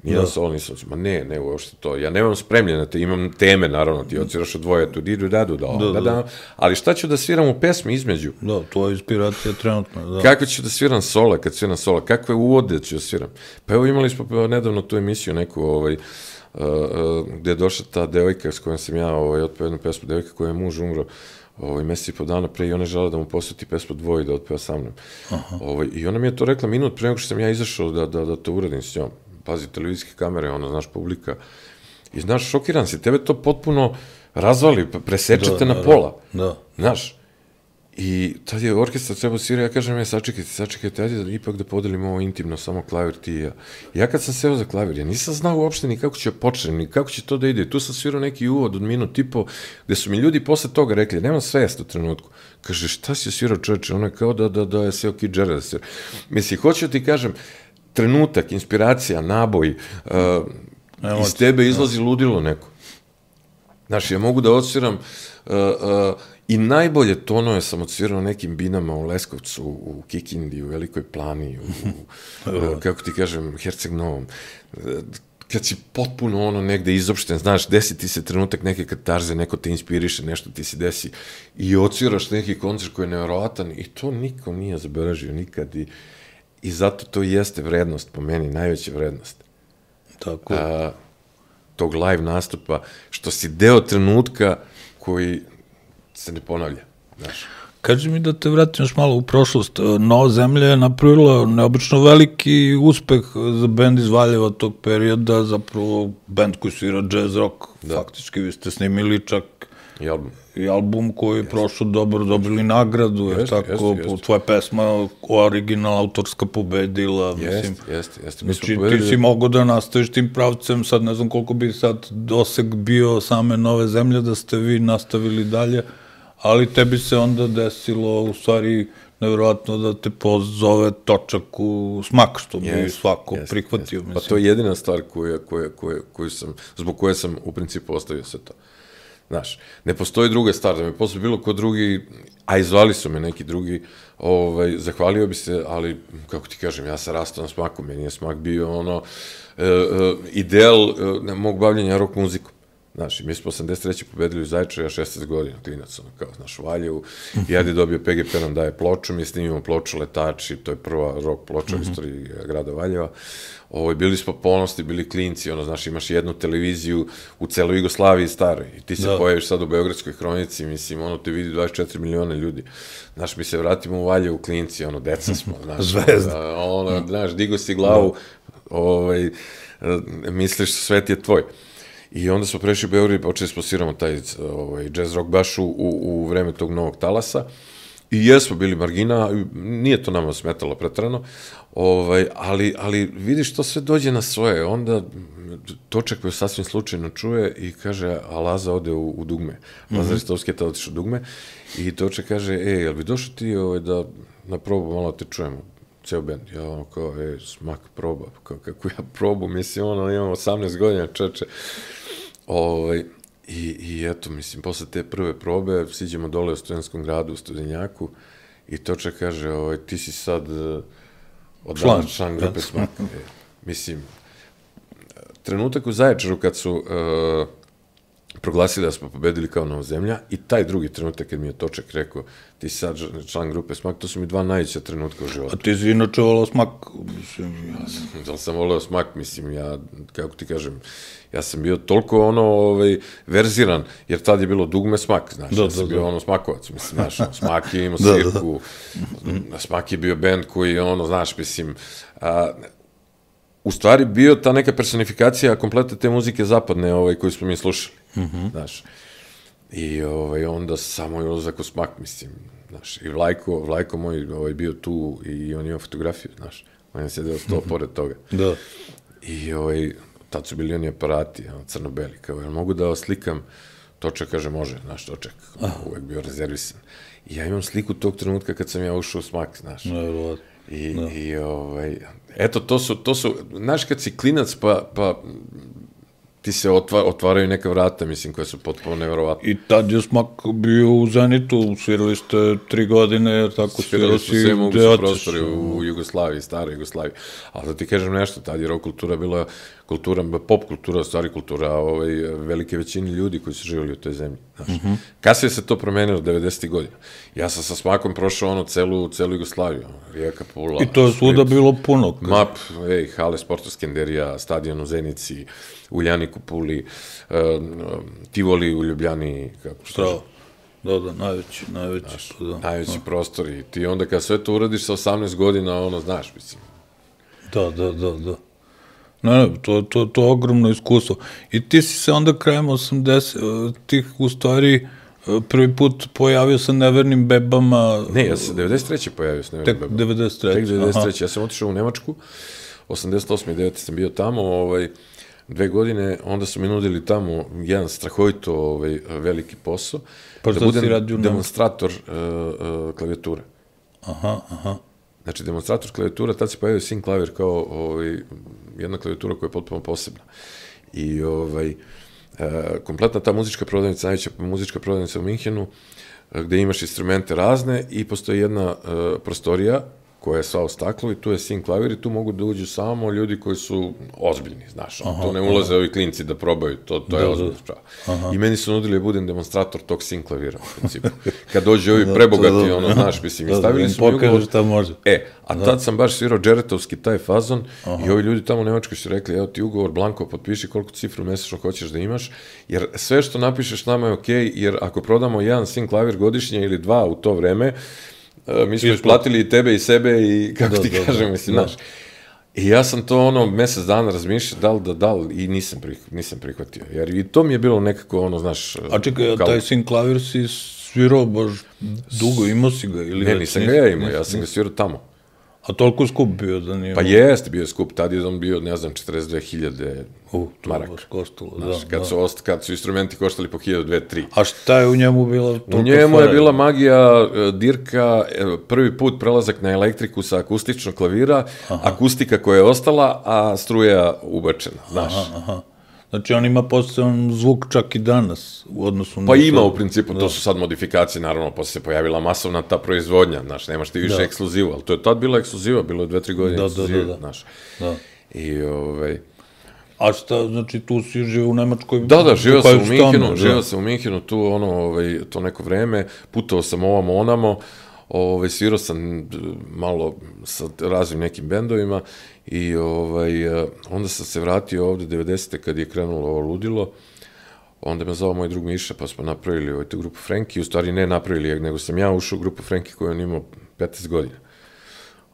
Nijedan solo nisam svirao, ma ne, ne, uopšte to. Ja nemam spremljene, te, imam teme, naravno, ti odsviraš od dvoje, tu didu, dadu, da, da, da, da, ali šta ću da sviram u pesmi između? Da, to je inspiracija trenutno, da. Kako ću da sviram sola, kad sviram sola, kakve uvode ću da sviram? Pa evo imali smo nedavno tu emisiju neku, ovaj, uh, uh, gde je došla ta devojka s kojom sam ja ovaj, otpeo jednu pesmu, devojka koja je muž umro ovaj, mesec i po dana pre i ona žela da mu posveti pesmu Dvoje da otpeva sa mnom. Ovaj, I ona mi je to rekla minut pre nego što sam ja izašao da, da, da to uradim s njom. Pazi, televizijske kamere, ono, znaš, publika. I znaš, šokiran si, tebe to potpuno razvali, presečete na pola. Da. Znaš, i tad je orkestar trebao svirati, ja kažem, ja, sačekajte, sačekajte, ajde da ipak da podelimo ovo intimno, samo klavir ti i ja. Ja kad sam seo za klavir, ja nisam znao uopšte ni kako će početi, ni kako će to da ide. Tu sam svirao neki uvod od minut i po, gde su mi ljudi posle toga rekli, nemam svest u trenutku. Kaže, šta si svirao, čoveče? Ono je kao da, da, da je seo Kid Jarrett da svira. Mislim, hoću ti kažem, trenutak, inspiracija, naboj, uh, iz tebe izlazi ludilo neko. Znaš, ja mogu da odsviram uh, uh, i najbolje tonove sam odsvirao nekim binama u Leskovcu, u Kikindi, u Velikoj Plani, u, u kako ti kažem, Herceg Novom. Kad si potpuno ono negde izopšten, znaš, desi ti se trenutak neke katarze, neko te inspiriše, nešto ti se desi i odsviraš neki koncert koji je nevjerovatan i to niko nije zabeležio nikad i I zato to jeste vrednost, po meni, najveća vrednost. Tako. A, tog live nastupa, što si deo trenutka koji se ne ponavlja, znaš. Kaži mi da te vratim još malo u prošlost. Nova zemlja je napravila neobično veliki uspeh za bend iz Valjeva tog perioda, zapravo bend koji svira jazz rock, da. Faktički vi ste snimili čak i album, i album koji je prošao dobro, dobili nagradu, jer tako, jest, jest. Tvoja pesma original, autorska pobedila, jest, mislim. Jeste, jeste. Znači, ti si mogo da nastaviš tim pravcem, sad ne znam koliko bi sad doseg bio same Nove zemlje, da ste vi nastavili dalje, ali tebi se onda desilo, u stvari, nevjerojatno da te pozove točak u smak, što bi yes, svako yes, prihvatio. Yes. Pa to je jedina stvar koja, koja, koja, koju sam, zbog koje sam u principu ostavio sve to. Znaš, ne postoji druga stvar, da me posle bilo ko drugi, a izvali su me neki drugi, ovaj, zahvalio bi se, ali, kako ti kažem, ja sam rastao na smaku, meni je smak bio ono, e, e, ideal e, mog bavljenja rock muzikom. Znaš, mi smo osamdeset treće pobedili u Zaječaru, ja šesnaest godina, klinac, ono, kao, znaš, u Valjevu, i Adi dobio P G P nam daje ploču, mi snimimo ploču Letači, to je prva rock ploča u istoriji grada Valjeva. Ovo, bili smo ponosni, bili klinci, ono, znaš, imaš jednu televiziju u celoj Jugoslaviji staroj, i ti se da. Pojaviš sad u Beogradskoj hronici, mislim, ono, te vidi dvadeset četiri miliona ljudi. Znaš, mi se vratimo u Valjevu, klinci, ono, deca smo, znaš, Zvezda. Ono, znaš, digo si glavu, ovaj, misliš, svet je tvoj. I onda smo prešli u Beograd i počeli smo sviramo taj ovaj, jazz rock baš u, u vreme tog novog talasa. I jesmo bili margina, nije to nama smetalo pretrano, ovaj, ali, ali vidiš, to sve dođe na svoje. Onda Točak koji sasvim slučajno čuje i kaže, a Laza ode u, u dugme. Laza mm-hmm. Ristovski je tada otišao u dugme i Točak kaže, e, jel bi došao ti ovaj, da na probu malo te čujemo? Ceo bend, ja ono kao, e, smak proba, kao, kako ja probu, mislim, ono, imam osamnaest godina, čeče. Ovaj, i, I eto, mislim, posle te prve probe, siđemo dole u Studentskom gradu, u Studenjaku, i Točak kaže, ovaj, ti si sad uh, odavno član grupe Smak. E, mislim, trenutak u Zaječaru kad su uh, proglasili da smo pobedili kao Nova zemlja, i taj drugi trenutak kad mi je Točak rekao, ti si sad član grupe Smak, to su mi dva najveća trenutka u životu. A ti si inače volao Smak? Mislim, ja sam, da li sam volao Smak, mislim, ja, kako ti kažem, ja sam bio toliko, ono, ovaj, verziran, jer tad je bilo dugme Smak, znaš, da, ja sam da, bio, da. ono, Smakovac, mislim, znaš, ono, Smak je imao svirku, da, da. Smak je bio bend koji, ono, znaš, mislim, a, u stvari bio ta neka personifikacija komplete te muzike zapadne, ovaj, koju smo mi slušali, mm-hmm. znaš, i ovaj, onda samo je ulazak u Smak, mislim, znaš, i Vlajko, Vlajko moj ovaj, bio tu i on imao fotografiju, znaš, on je sedeo sto mm-hmm. pored toga. Da. I ovaj, tad su bili oni aparati, ono, crno-beli, kao, jel mogu da oslikam? Točak kaže, može, znaš, Točak, uvek bio rezervisan. I ja imam sliku tog trenutka kad sam ja ušao u Smak, znaš. No, I, no. i ovaj, eto, to su, to su, znaš, kad si klinac, pa, pa ti se otva, otvaraju neka vrata, mislim, koja su potpuno neverovatne. I tad je Smak bio u Zenitu, svirali ste tri godine, jer tako svirali su sve moguće prostore u, u Jugoslaviji, staroj Jugoslaviji. Ali da ti kažem nešto, tad je rock kultura bila kultura, pop kultura, stvari kultura, ovaj, velike većine ljudi koji su živjeli u toj zemlji. Znaš. Mm-hmm. Kasnije se to promenilo devedesetih godina. Ja sam sa Smakom prošao ono celu, celu Jugoslaviju, Rijeka, Pula. I to je svuda bilo puno. Map, ej, hale, Sporta Skenderija, stadion u Zenici, Uljanik u Puli, uh, Tivoli u Ljubljani, kako što da, da, najveći, najveći. Znaš, to, da. Najveći da. Prostor i ti onda kad sve to uradiš sa osamnaest godina, ono, znaš, mislim. Da, da, da, da. Ne, to, to, to je ogromno iskustvo. I ti si se onda krajem osamdesetih u stvari prvi put pojavio sa Nevernim bebama. Ne, ja sam devedeset treće pojavio sa Nevernim bebama. Tek devedeset treće Tek devedeset treće Ja sam otišao u Nemačku, osamdeset osme i devete sam bio tamo, ovaj, dve godine, onda su mi nudili tamo jedan strahovito ovaj, veliki posao, pa da budem demonstrator uh, uh, klavijature. Aha, aha. Znači, demonstrator klavijatura, tad se pojavio Syn klavir kao ovaj, jedna klavijatura koja je potpuno posebna. I ovaj, e, kompletna ta muzička prodavnica, najveća muzička prodavnica u Minhenu, gde imaš instrumente razne i postoji jedna e, prostorija koja je sva u staklu i tu je sin klavir i tu mogu da uđu samo ljudi koji su ozbiljni, znaš, aha, tu ne ulaze aha. ovi klinci da probaju, to, to da, je ozbiljno spravo. I meni su nudili da budem demonstrator tog sin klavira, u principu. Kad dođe ovi prebogati, da, ono, znaš, mislim, i stavili su mi ugovor. Šta može. E, a da. Tad sam baš svirao džeretovski taj fazon aha. i ovi ljudi tamo u Nemačkoj su rekli, evo ti ugovor, blanko, potpiši koliko cifru mesečno hoćeš da imaš, jer sve što napišeš nama je okej, okay, jer ako prodamo jedan sin klavir godišnje ili dva u to vreme, mi smo isplatili i tebe i sebe i kako da, ti da, kažem, da, mislim, znaš. I ja sam to ono mesec dana razmišljao da li da da li i nisam, prih, nisam prihvatio. Jer i to mi je bilo nekako ono, znaš... A čekaj, kao... taj sin klavir si svirao baš dugo, imao si ga? Ili ne, nisam ga ja imao, ja sam ga svirao tamo. A toliko skup bio da nije... Pa jeste bio skup, tad je on bio, ne znam, četrdeset dve hiljade uh, maraka. Koštalo, znaš, da, kad, da. Su ost, kad su instrumenti koštali po hiljadu, dve, tri. A šta je u njemu bila? U njemu je bila magija, dirka, prvi put prelazak na elektriku sa akustičnog klavira, aha. akustika koja je ostala, a struja ubačena, znaš. Aha, aha. Znači, on ima poseban zvuk čak i danas u odnosu na... Pa ima u principu, da. To su sad modifikacije, naravno, posle se pojavila masovna ta proizvodnja, znaš, nemaš ti više da. ekskluzivu, ali to je tad bila ekskluziva, bilo je dve, tri godine da, ekskluziva, da, da, da. znaš. Da. I, ovaj... A šta, znači, tu si živio u Nemačkoj? Da, da, živio sam u Minhenu, da. živio sam u Minhenu, tu, ono, ovaj, to neko vreme, putovao sam ovamo, onamo, ovaj, svirao sam malo sa raznim nekim bendovima i ovaj, onda sam se vratio ovde devedesete kad je krenulo ovo ludilo, onda me zvao moj drug Miša pa smo napravili ovaj, tu grupu Frenki, u stvari ne napravili, nego sam ja ušao u grupu Frenki koju on imao petnaest godina.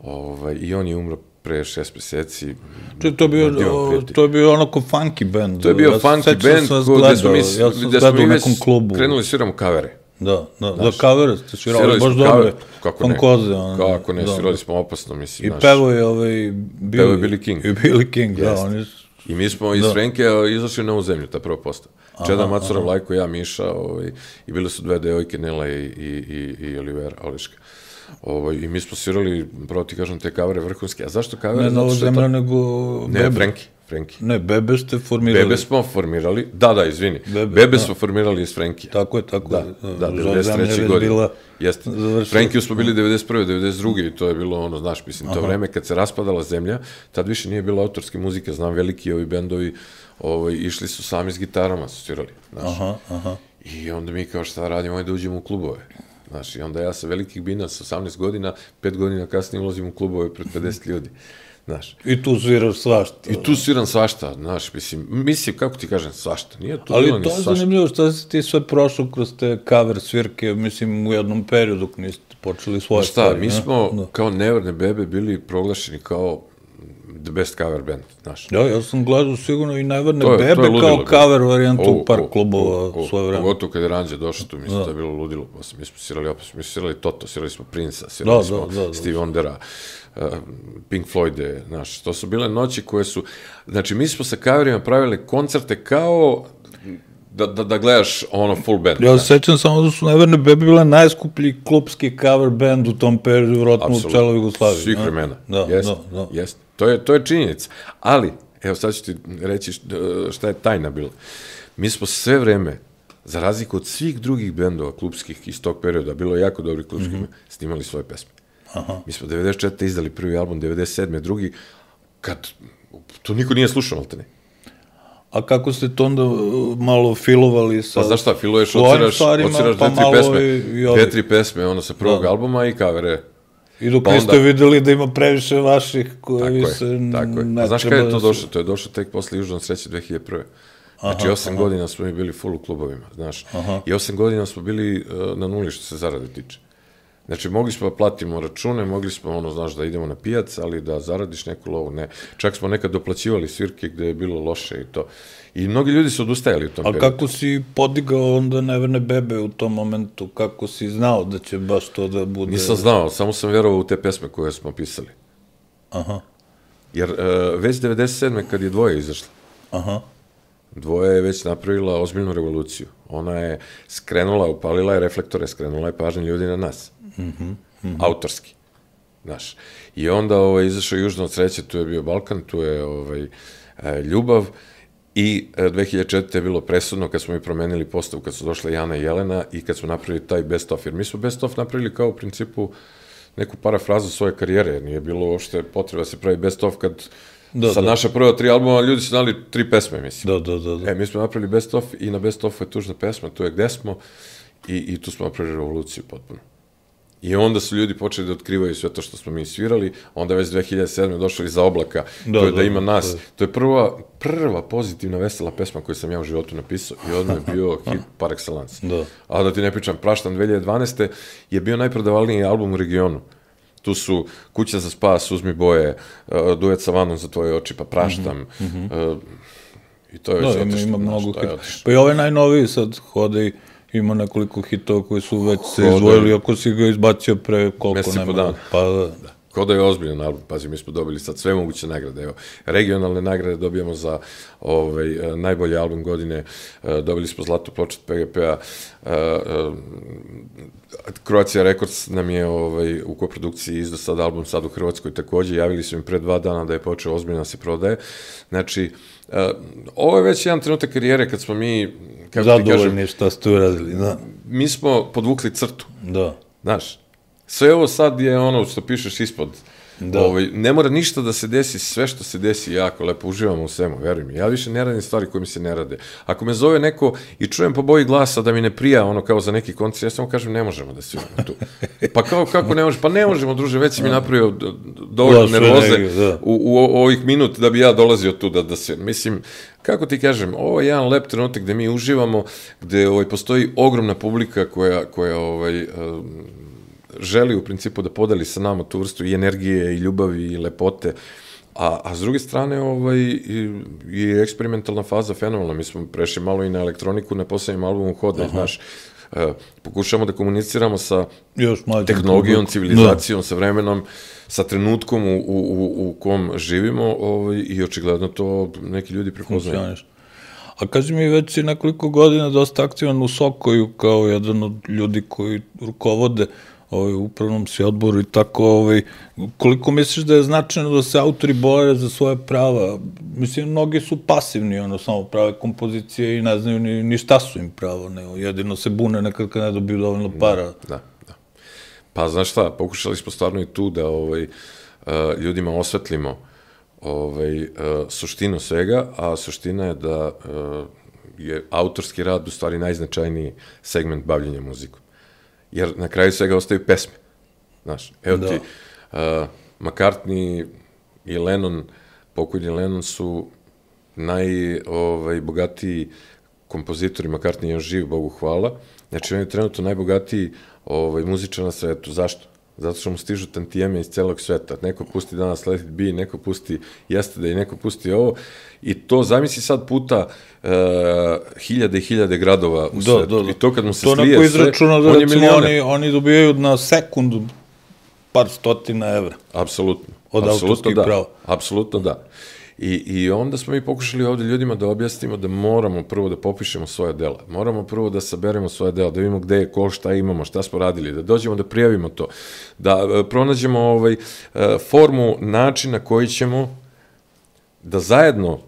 Ovaj, I on je umro pre šest meseci. Če, to, je bio, o, to je bio onako funky band. To je bio ja funky band gde smo mi, ja sam gde smo mi već klubu. krenuli sviramo kavere. Da, da, da, kavere ste svirali, baš dobre, funkoze. Kako ne, svirali smo opasno, mislim. I pevo je ovaj... Pevo je Billy King. I Billy King, da, oni su... I mi smo iz Frenke izašli na ovu zemlju, ta prva postava. Čeda, Macura, Vlajko, ja, Miša, i bile su dve devojke, Nela i Olivera, Oliška. I mi smo svirali, pravo ti kažem, te kavere vrhunske. A zašto kavere? Ne na ovu zemlja, nego... Ne, Frenki. Frenki. Ne, Bebe ste formirali. Bebe smo formirali, da, da, izvini. Bebe, Bebe da. smo formirali iz Frenkija. Tako je, tako da, je. Da, devedeset treće godine. Jeste. Frenkiju smo bili devedeset prve, devedeset druge i to je bilo ono, znaš, mislim, to vreme kad se raspadala zemlja, tad više nije bilo autorske muzike, znam, veliki ovi bendovi ovaj, išli su sami s gitarama, su svirali, znaš. Aha, aha. I onda mi kao šta radimo, ajde da uđemo u klubove. Znaš, i onda ja sa velikih bina, sa osamnaest godina, pet godina kasnije ulazim u klubove pred pedeset ljudi. Znaš. I tu sviraš svašta. I tu sviram svašta, znaš, mislim, mislim, kako ti kažem, svašta, nije to ali bilo ni svašta. Ali to je zanimljivo što si ti sve prošao kroz te cover svirke, mislim, u jednom periodu dok niste počeli svoje šta, stvari. Šta, mi smo ne? kao Neverne Bebe bili proglašeni kao the best cover band, znaš. Ja, ja sam gledao sigurno i Neverne to je, Bebe to je ludilo, kao cover varijantu u par klubova svoje vreme. Pogotovo kad je Ranđe došao tu, mislim, to je bilo ludilo. Mi smo svirali opet, mi smo svirali Toto, svirali smo Prince-a, svirali smo Stevie Wondera, Pink Floyd, znaš, to su bile noći koje su, znači mi smo sa coverima pravili koncerte kao da, da, da gledaš ono full band. Ja sećam samo da su Neverne Bebe bile najskuplji klubski cover band u tom periodu, vjerojatno u celoj Jugoslaviji. Svih vremena, da, jest, da, da. jest. To je, to je činjenica, ali, evo sad ću ti reći šta je tajna bila. Mi smo sve vreme, za razliku od svih drugih bendova klubskih iz tog perioda, bilo je jako dobrih klubskih, mm-hmm. snimali svoje pesme. Aha. Mi smo devedeset četvrte izdali prvi album, devedeset sedme drugi, kad to niko nije slušao, ali te ne. A kako ste to onda malo filovali sa... Pa znaš šta, filuješ, odsiraš, odsiraš pa dve, tri pesme, i, i dve, tri pesme, ono sa prvog da. albuma i kavere. I dok pa niste onda... videli da ima previše vaših koji tako se je, tako je. A znaš kada je to došlo? To je došlo tek posle Južnog sreće dve hiljade prve. Znači, aha, osam aha. godina smo mi bili full u klubovima, znaš. Aha. I osam godina smo bili uh, na nuli što se zarade tiče. Znači, mogli smo da platimo račune, mogli smo, ono, znaš, da idemo na pijac, ali da zaradiš neku lovu, ne. Čak smo nekad doplaćivali svirke gde je bilo loše i to. I mnogi ljudi su odustajali u tom periodu. A kako si podigao onda Neverne Bebe u tom momentu? Kako si znao da će baš to da bude... Nisam znao, samo sam verovao u te pesme koje smo pisali. Aha. Jer uh, već devedeset sedme kad je Dvoje izašla, aha. Dvoje je već napravila ozbiljnu revoluciju. Ona je skrenula, upalila je reflektore, skrenula je pažnju ljudi na nas. Mm-hmm, mm-hmm. Autorski, znaš. I onda ovaj, izašao Južno od sreće, tu je bio Balkan, tu je ovaj, e, Ljubav i e, dve hiljade četvrte je bilo presudno kad smo mi promenili postavu, kad su došle Jana i Jelena i kad smo napravili taj best of, jer mi smo best of napravili kao u principu neku parafrazu svoje karijere, jer nije bilo uopšte potreba da se pravi best of kad Da, sa da. naša prva tri albuma ljudi su znali tri pesme, mislim. Da, da, da. da. E, mi smo napravili best of i na best ofu je tužna pesma, tu je Gde smo i, i tu smo napravili revoluciju potpuno. I onda su ljudi počeli da otkrivaju sve to što smo mi svirali, onda već dve hiljade sedme došli iza oblaka, Da, to je da da, ima nas. da. To je prva, prva pozitivna, vesela pesma koju sam ja u životu napisao i odmah je bio hit par excellence. Da. A da ti ne pričam, Praštan dve hiljade dvanaeste je bio najprodavalniji album u regionu. Tu su Kuća za spas, Uzmi boje, uh, Duet sa vanom za tvoje oči, pa Praštam. Mm-hmm. uh, I to je Da, zato ima, što, ima znaš, mnogo to je hita. otišlo. Pa i ovaj najnoviji sad hode i ima nekoliko hitova koji su već se Hode. izdvojili, ako si ga izbacio pre koliko Mesec i po nema. dana. Pa da. Kao da je ozbiljan album, pazi, mi smo dobili sad sve moguće nagrade, evo, regionalne nagrade dobijamo za ovaj, eh, najbolji album godine, eh, dobili smo zlatu ploču od P G P-a, eh, eh, Croatia Records nam je ovaj, u koprodukciji izdao sad album sad u Hrvatskoj takođe, javili su im pre dva dana da je počeo ozbiljno da se prodaje, znači, eh, ovo je već jedan trenutak karijere kad smo mi, kako ti kažem, Zadovoljni šta ste uradili, da. mi smo podvukli crtu, Da. znaš, sve ovo sad je ono što pišeš ispod. Da. Ovaj, ne mora ništa da se desi, sve što se desi jako lepo, uživamo u svemu, veruj mi. Ja više ne radim stvari koje mi se ne rade. Ako me zove neko i čujem po boji glasa da mi ne prija ono kao za neki koncert, ja samo kažem ne možemo da sviramo tu. Pa kao kako ne možemo? Pa ne možemo, druže, već si mi napravio d- d- dovoljno Da, sve nervoze negdje, da. u, u o- ovih minut da bi ja dolazio tu da, da se, mislim, kako ti kažem, ovo je jedan lep trenutak gde mi uživamo, gde ovaj, postoji ogromna publika koja, koja ovaj, um, želi u principu da podeli sa nama tu vrstu i energije i ljubavi i lepote, a, a s druge strane ovaj, i, i eksperimentalna faza fenomenalna, mi smo prešli malo i na elektroniku na poslednjem albumu Hode, znaš, uh, pokušamo da komuniciramo sa Još mlađim tehnologijom, publikom. civilizacijom, sa vremenom, sa trenutkom u, u, u, u kom živimo ovaj, i očigledno to neki ljudi prepoznaju. Funkcioniš. A kaži mi, već si nekoliko godina dosta aktivan u Sokoju kao jedan od ljudi koji rukovode ovaj, upravnom si odboru i tako, ovaj, koliko misliš da je značajno da se autori bore za svoje prava? Mislim, mnogi su pasivni, ono, samo prave kompozicije i ne znaju ni, ni šta su im pravo, nego jedino se bune nekad kad ne dobiju dovoljno para. Da, da. Pa znaš šta, pokušali smo stvarno i tu da ovaj, uh, ljudima osvetlimo ovaj, uh, suštinu svega, a suština je da uh, je autorski rad u stvari najznačajniji segment bavljenja muzikom. Jer na kraju svega ostaju pesme. Znaš, evo Da. ti, uh, McCartney i Lennon, pokojni Lennon su najbogatiji kompozitori, McCartney je još živ, Bogu hvala. Znači, on je trenutno najbogatiji ovaj, muzičar na svetu. Zašto? Zato što mu stižu tantijeme iz celog sveta. Neko pusti danas Let It Be, neko pusti Yesterday, neko pusti ovo. I to, zamisli sad puta uh, hiljade i hiljade gradova u Da, svetu. da, da. I to kad mu se To slije neko sve, izračuna da on je recimo milioner. oni, oni dobijaju na sekundu par stotina evra. Apsolutno. Od Apsolutno autorskih da. prava. Apsolutno da. I, I onda smo mi pokušali ovde ljudima da objasnimo da moramo prvo da popišemo svoje dela. Moramo prvo da saberemo svoje dela, da vidimo gde je ko, šta imamo, šta smo radili, da dođemo da prijavimo to, da e, pronađemo ovaj, e, formu, način na koji ćemo da zajedno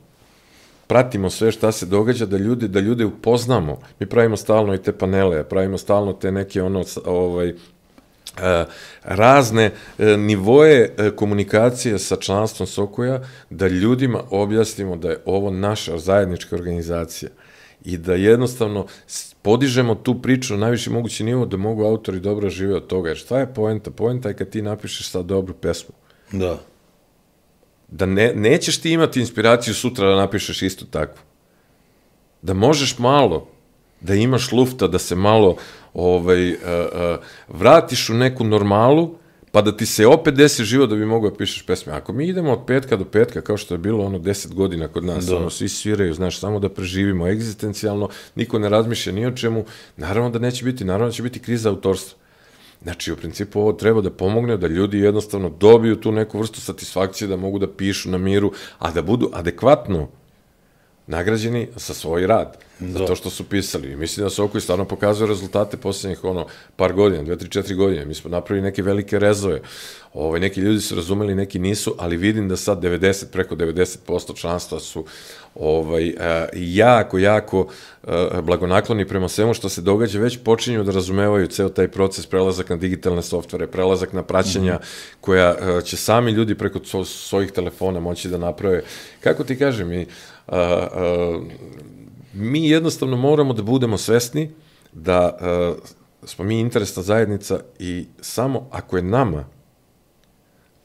pratimo sve šta se događa, da ljude, da ljude upoznamo. Mi pravimo stalno i te panele, pravimo stalno te neke ono, ovaj, E, razne e, nivoje e, komunikacije sa članstvom Sokoja, da ljudima objasnimo da je ovo naša zajednička organizacija i da jednostavno s- podižemo tu priču na najviši mogući nivo da mogu autori dobro žive od toga. Jer šta je poenta? Poenta je kad ti napišeš sad dobru pesmu. Da. Da ne, nećeš ti imati inspiraciju sutra da napišeš isto takvu. Da možeš malo, da imaš lufta, da se malo ovaj, uh, uh, vratiš u neku normalu, pa da ti se opet desi život da bi mogao da pišeš pesme. Ako mi idemo od petka do petka, kao što je bilo ono deset godina kod nas, Da. ono, svi sviraju, znaš, samo da preživimo egzistencijalno, niko ne razmišlja ni o čemu, naravno da neće biti, naravno da će biti kriza autorstva. Znači, u principu ovo treba da pomogne da ljudi jednostavno dobiju tu neku vrstu satisfakcije, da mogu da pišu na miru, a da budu adekvatno nagrađeni za svoj rad, za to što su pisali. I mislim da Sokoj stvarno pokazuje rezultate posljednjih ono, par godina, dve, tri, četiri godine. Mi smo napravili neke velike rezove. Ovaj, neki ljudi su razumeli, neki nisu, ali vidim da sad devedeset, preko devedeset posto članstva su ovaj, jako, jako blagonakloni prema svemu što se događa, već počinju da razumevaju ceo taj proces, prelazak na digitalne softvere, prelazak na praćenja koja će sami ljudi preko svojih telefona moći da naprave. Kako ti kažem, mi, mi jednostavno moramo da budemo svesni da smo mi interesna zajednica i samo ako je nama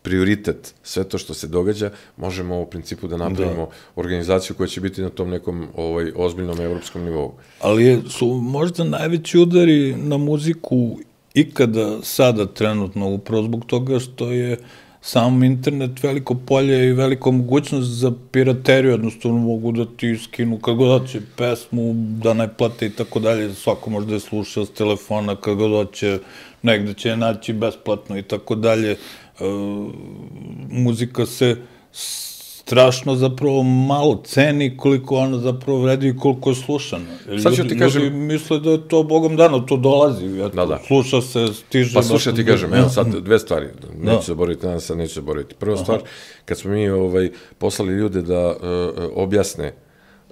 prioritet sve to što se događa, možemo u principu da napravimo organizaciju koja će biti na tom nekom ovaj, ozbiljnom evropskom nivou. Ali su možda najveći udari na muziku ikada sada trenutno, upravo zbog toga što je sam internet veliko polje i veliko mogućnost za pirateriju, jednostavno mogu da ti skinu kad god hoće pesmu, da ne plate i tako dalje, svako može da je sluša s telefona, kad god hoće, negde će je naći besplatno i tako dalje. Muzika se strašno zapravo malo ceni koliko ona zapravo vredi i koliko je slušana. Sad ću ti kažem... Ljudi misle da je to Bogom dano, to dolazi, sluša se, stiže... Pa slušaj ti kažem, evo sad dve stvari, neću zaboraviti, danas sad neću zaboraviti. Prva stvar, kad smo mi poslali ljude da objasne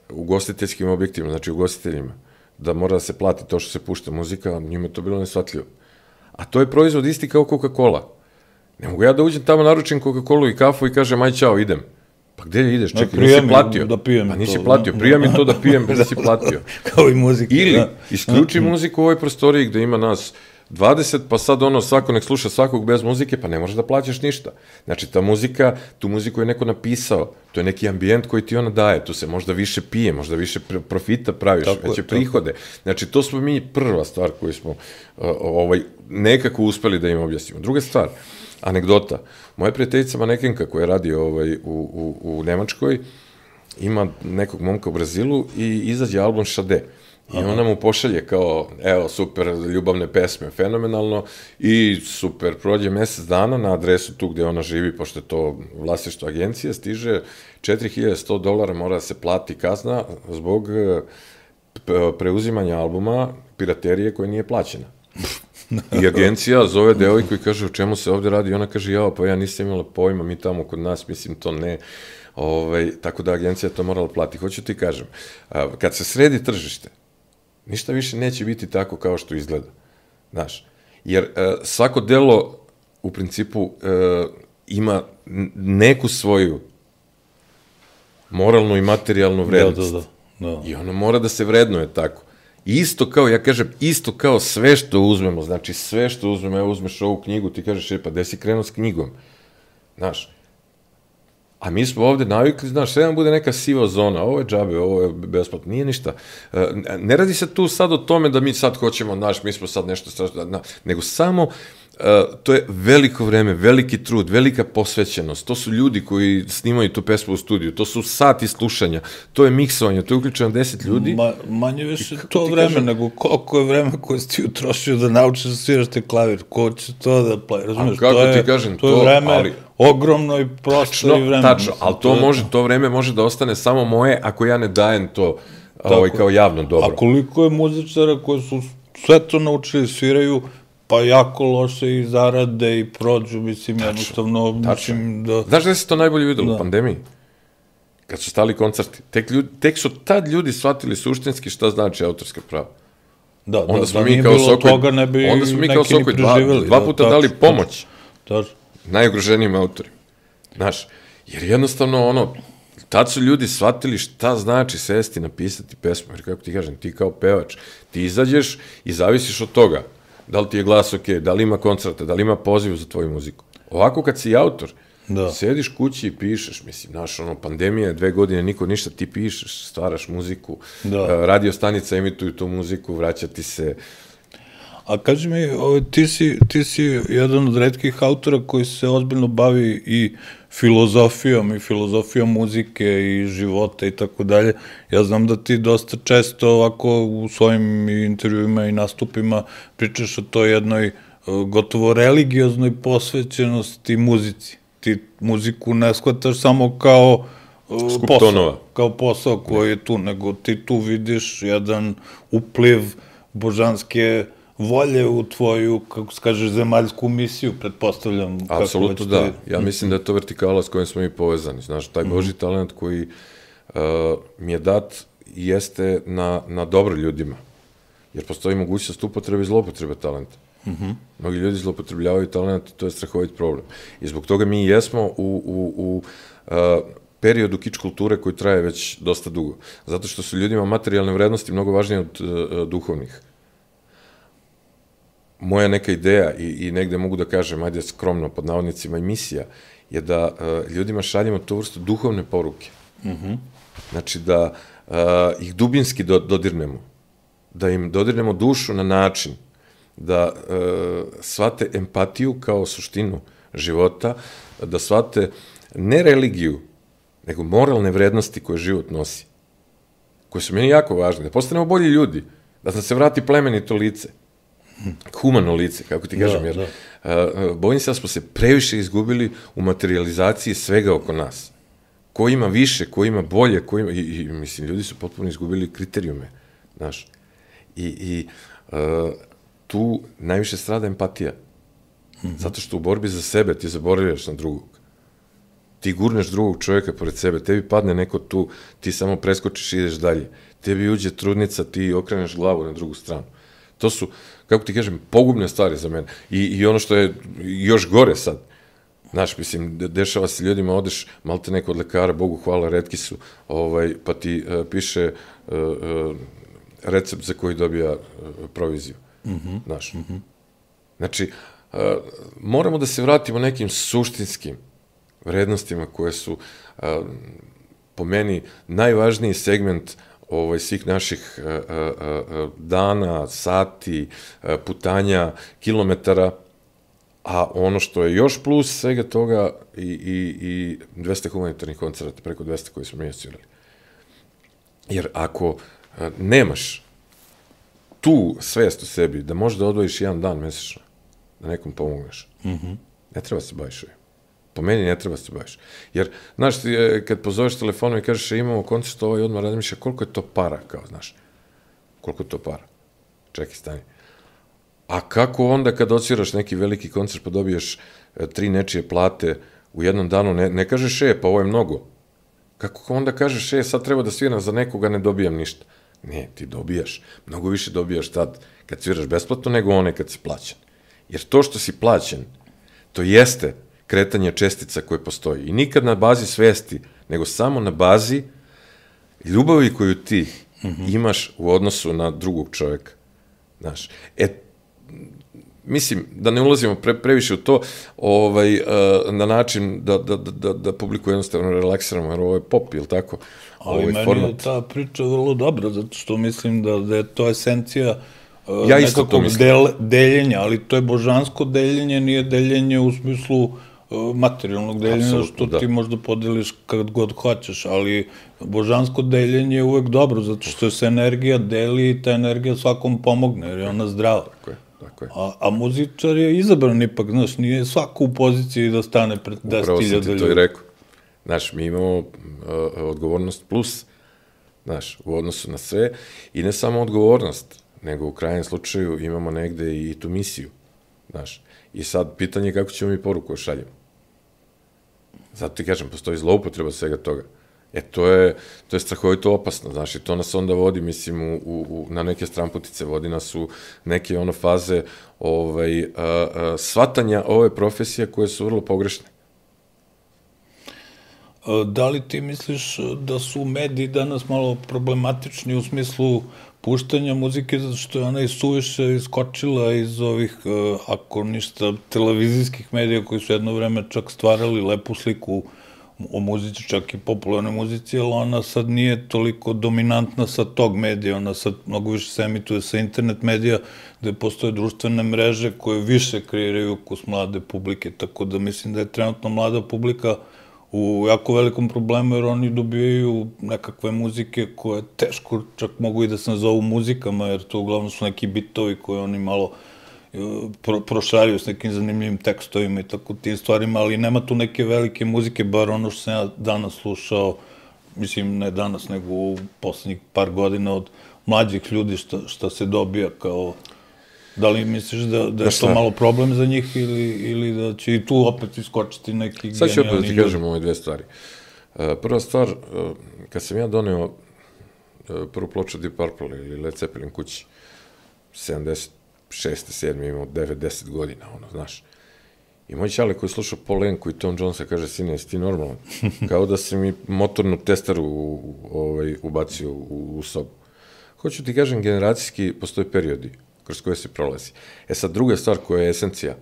ugostiteljskim objektima, znači ugostiteljima, da mora da se plati to što se pušta muzika, njima je to bilo nesvatljivo. A to je proizvod isti kao Coca-Cola. Ne mogu ja da uđem tamo, naručim Coca-Colu i kafu i kažem, aj čao, idem. Pa gde ideš? Čekaj, nisi platio. Pa nisi platio, prija mi to da pijem, da si platio. Kao i muzika. Ili isključi muziku u ovoj prostoriji gde ima nas dvadeset, pa sad ono, svako nek sluša svakog bez muzike, pa ne možeš da plaćaš ništa. Znači, ta muzika, tu muziku je neko napisao, to je neki ambijent koji ti ona daje, tu se možda više pije, možda više profita praviš, veće prihode. Znači, to smo mi prva stvar koju smo nekako uspeli da im objasnimo. Druga stvar, anegdota. Moja prijateljica manekenka koja radi ovaj, u, u, u Nemačkoj ima nekog momka u Brazilu i izađe album Šade. I ona mu pošalje kao, evo, super, ljubavne pesme, fenomenalno, i super, prođe mesec dana na adresu tu gde ona živi, pošto je to vlasništvo agencije, stiže četiri hiljade sto dolara, mora da se plati kazna zbog preuzimanja albuma piraterije koja nije plaćena. I agencija zove devojku i kaže, o čemu se ovde radi? I ona kaže, jao, pa ja nisam imala pojma, mi tamo kod nas, mislim, to ne. Tako da agencija to morala plati. Hoću ti kažem, kad se sredi tržište, ništa više neće biti tako kao što izgleda. Znaš, jer svako delo u principu ima neku svoju moralnu i materijalnu vrednost. I ono mora da se vrednuje tako. Isto kao, ja kažem, isto kao sve što uzmemo, znači sve što uzmemo, evo uzmeš ovu knjigu, ti kažeš, e, pa gde si krenuo s knjigom? Znaš, a mi smo ovde navikli, znaš, sve nam bude neka siva zona, ovo je džabe, ovo je besplatno, nije ništa. Ne radi se tu sad o tome da mi sad hoćemo, znaš, mi smo sad nešto strašno, nego samo, to je veliko vreme, veliki trud, velika posvećenost, to su ljudi koji snimaju tu pesmu u studiju, to su sati slušanja, to je miksovanje, to je uključeno deset ljudi. Manje više to vreme, nego koliko je vreme koje si ti utrošio da naučiš da sviraš te klavir, ko će to da plavi, razumiješ? Kako ti kažem, to je vreme ogromno i prosto i vreme. Tačno, ali to može, to vreme može da ostane samo moje ako ja ne dajem to kao javno dobro. A koliko je muzičara koji su sve to naučili, sviraju, pa jako loše i zarade i prođu, mislim, jednostavno, mislim da... Znaš da se to najbolje videlo u pandemiji? Kad su stali koncerti. Tek su tad ljudi shvatili suštinski šta znači autorska prava. Da, da nije bilo toga, ne bi neki ni preživjeli. Onda smo mi kao Sokoj dva puta dali pomoć najugroženijim autorima. Znaš, jer jednostavno, ono, tad su ljudi shvatili šta znači sesti, napisati pesmu, jer kako ti kažem, ti kao pevač, ti izađeš i zavisiš od toga. Da li ti je glas ok, da li ima koncerta, da li ima poziv za tvoju muziku. Ovako kad si autor, sediš kući i pišeš, mislim, znaš, ono, pandemija je dve godine, niko ništa, ti pišeš, stvaraš muziku, radio stanica emituju tu muziku, vraća ti se. A kaži mi, ti si jedan od retkih autora koji se ozbiljno bavi i filozofijom, i filozofijom muzike i života i tako dalje. Ja znam da ti dosta često ovako u svojim intervjuima i nastupima pričaš o toj jednoj gotovo religioznoj posvećenosti muzici. Ti muziku ne shvataš samo kao Skup posao, tonova. kao posao koji je tu, nego ti tu vidiš jedan upliv božanske volje u tvoju, kako se kaže, zemaljsku misiju, pretpostavljam. Apsolutno da. Ja mislim da je to vertikala s kojom smo mi povezani. Znaš, taj Božji talent koji uh, mi je dat jeste na, na dobro ljudima. Jer postoji mogućnost upotrebe i zloupotrebe talenta. Mm-hmm. Mnogi ljudi zloupotrebljavaju talent i to je strahovit problem. I zbog toga mi jesmo u, u, u uh, periodu kič kulture koji traje već dosta dugo. Zato što su ljudima materijalne vrednosti mnogo važnije od uh, duhovnih. Moja neka ideja i, i negde mogu da kažem, ajde skromno pod navodnicima, i misija je da uh, ljudima šaljemo tu vrstu duhovne poruke. Mm-hmm. Znači da uh, ih dubinski do, dodirnemo. Da im dodirnemo dušu na način da uh, shvate empatiju kao suštinu života, da shvate ne religiju, nego moralne vrednosti koje život nosi, koje su meni jako važne, da postanemo bolji ljudi, da nam se vrati plemenito lice, humano lice, kako ti kažem, jer uh, bojim se da smo se previše izgubili u materializaciji svega oko nas. Ko ima više, ko ima bolje, ko ima, i, i mislim, ljudi su potpuno izgubili kriterijume, znaš, i, i uh, tu najviše strada empatija, mm-hmm. zato što u borbi za sebe ti zaboravljaš na drugog. Ti gurneš drugog čovjeka pored sebe, tebi padne neko tu, ti samo preskočiš i ideš dalje. Tebi uđe trudnica, ti okreneš glavu na drugu stranu. To su, kako ti kažem, pogubne stvari za mene. I, i ono što je još gore sad, znaš, mislim, dešava se ljudima, odeš malte neko od lekara, Bogu hvala, retki su, ovaj, pa ti uh, piše uh, uh, recept za koji dobija uh, proviziju. Mm-hmm. Znaš. Mm-hmm. Znači, uh, moramo da se vratimo nekim suštinskim vrednostima koje su uh, po meni najvažniji segment ovaj, svih naših uh, uh, dana, sati, uh, putanja, kilometara, a ono što je još plus svega toga i, i, i dvesta humanitarnih koncerata, preko dvesta koji smo mi osvirali. Jer ako uh, nemaš tu svest u sebi da možeš da odvojiš jedan dan mesečno, da nekom pomogneš, mm-hmm. ne treba se baviš ovim. Po meni ne treba se baviš. Jer, znaš, kad pozoveš telefonom i kažeš imamo koncert ovaj, odmah razmišlja koliko je to para, kao, znaš, koliko je to para. Čekaj, stani. A kako onda kad odsviraš neki veliki koncert pa dobiješ e, tri nečije plate u jednom danu, ne, ne kažeš e, pa ovo je mnogo. Kako onda kažeš e, sad treba da sviram za nekoga, ne dobijam ništa. Ne, ti dobijaš. Mnogo više dobijaš tad kad sviraš besplatno nego one kad si plaćen. Jer to što si plaćen, to jeste kretanje čestica koje postoji. I nikad na bazi svesti, nego samo na bazi ljubavi koju ti mm-hmm. imaš u odnosu na drugog čoveka. Znaš, e, mislim, da ne ulazimo pre, previše u to, ovaj, uh, na način da, da, da, da publiku jednostavno relaksiramo, jer ovo je pop, ili tako? Ali ovaj meni format. Je ta priča vrlo dobra, zato što mislim da, da je to esencija uh, ja nekakvog del, deljenja, ali to je božansko deljenje, nije deljenje u smislu materijalnog deljenja, absolutno, što da. Ti možda podeliš kad god hoćeš, ali božansko deljenje je uvek dobro, zato što se energija deli i ta energija svakom pomogne, jer je ona zdrava. Tako je, tako je. A, a muzičar je izabran ipak, znaš, nije svako u poziciji da stane pred deset hiljada ljudi. Upravo sam ti to i rekao. Znaš, mi imamo uh, odgovornost plus, znaš, u odnosu na sve, i ne samo odgovornost, nego u krajnjem slučaju imamo negde i tu misiju, znaš. I sad, pitanje je kako ćemo mi poruku šaljemo. Zato ti kažem, postoji zloupotreba svega toga. E, to je, to je strahovito opasno, znaš, i to nas onda vodi, mislim, u, u, na neke stramputice, vodi nas u neke ono faze ovaj, a, a, shvatanja ove profesije koje su vrlo pogrešne. Da li ti misliš da su mediji danas malo problematični u smislu puštanja muzike, zato što je ona i suviše iskočila iz ovih, ako ništa, televizijskih medija koji su jedno vreme čak stvarali lepu sliku o muzici, čak i popularnoj muzici, ali ona sad nije toliko dominantna sa tog medija, ona sad mnogo više se emituje sa internet medija, gde postoje društvene mreže koje više kreiraju ukus mlade publike, tako da mislim da je trenutno mlada publika u jako velikom problemu, jer oni dobijaju nekakve muzike koje teško čak mogu i da se nazovu muzikama, jer to uglavnom su neki bitovi koje oni malo pro, prošaraju s nekim zanimljivim tekstovima i tako tim stvarima, ali nema tu neke velike muzike, bar ono što sam ja danas slušao, mislim, ne danas, nego u poslednjih par godina od mlađih ljudi šta, šta se dobija kao... Da li misliš da, da je to malo problem za njih ili, ili da će i tu opet iskočiti neki genijalni... Sad ću opet da ti kažem ove dve stvari. Prva stvar, kad sam ja doneo prvu ploču Deep Purple ili Led Zeppelin kući, sedamdeset šeste, sedme imao devet deset godina, ono, znaš. I moj čale koji slušao Paul Anku i Tom Jonesa kaže, sine, jesi ti normalan? Kao da si mi motornu testeru ovaj, ubacio u, u sobu. Hoću ti kažem, generacijski postoje periodi kroz koje se prolazi. E sad, druga stvar koja je esencija.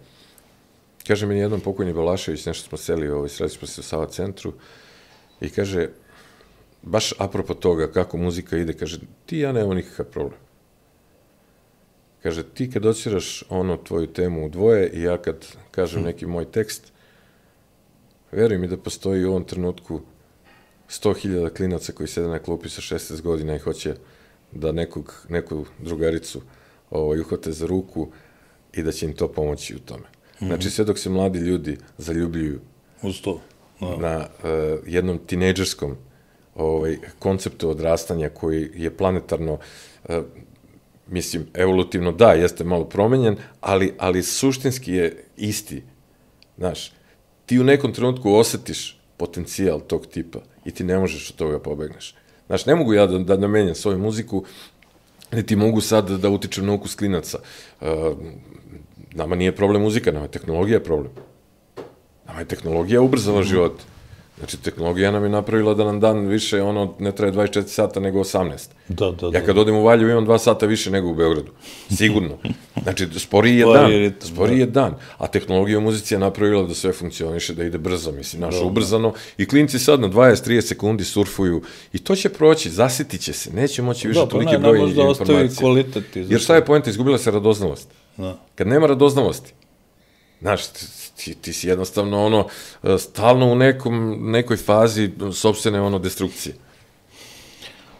Kaže mi jednom pokojni Balašević, nešto smo seli, ovaj, sredi smo se u Sava centru, i kaže, baš apropo toga kako muzika ide, kaže, ti ja nemamo nikakav problem. Kaže, ti kad dociraš ono tvoju temu u dvoje i ja kad kažem neki moj tekst, veruj mi da postoji u ovom trenutku sto hiljada klinaca koji sede na klupi sa šesnaest godina i hoće da nekog, neku drugaricu ovaj, uhvate za ruku i da će im to pomoći u tome. Znači, sve dok se mladi ljudi zaljubljuju uz to, da. na uh, jednom tinejdžerskom ovaj, konceptu odrastanja koji je planetarno, uh, mislim, evolutivno da, jeste malo promenjen, ali, ali suštinski je isti. Znaš, ti u nekom trenutku osetiš potencijal tog tipa i ti ne možeš od toga pobegneš. Znaš, ne mogu ja da, da namenjam svoju muziku, niti mogu sad da utičem na ukus klinaca. Uh, nama nije problem muzika, nama je tehnologija problem. Nama je tehnologija ubrzala život. Znači, tehnologija nam je napravila da nam dan više, ono, ne traje dvadeset četiri sata nego osamnaest. Da, da, da. Ja kad odem u Valjevo imam dva sata više nego u Beogradu. Sigurno. Znači, sporiji je dan. Sporiji je dan. A tehnologija u muzici je napravila da sve funkcioniše, da ide brzo, mislim, naš ubrzano. I klinci sad na dvadeset do trideset sekundi surfuju. I to će proći, zasitit će se. Neće moći više toliki broj informacija. Jer šta je poenta? Izgubila se radoznalost. Kad nema radoznalosti, znaš, ti, ti si jednostavno ono, stalno u nekom, nekoj fazi sopstvene ono destrukcije.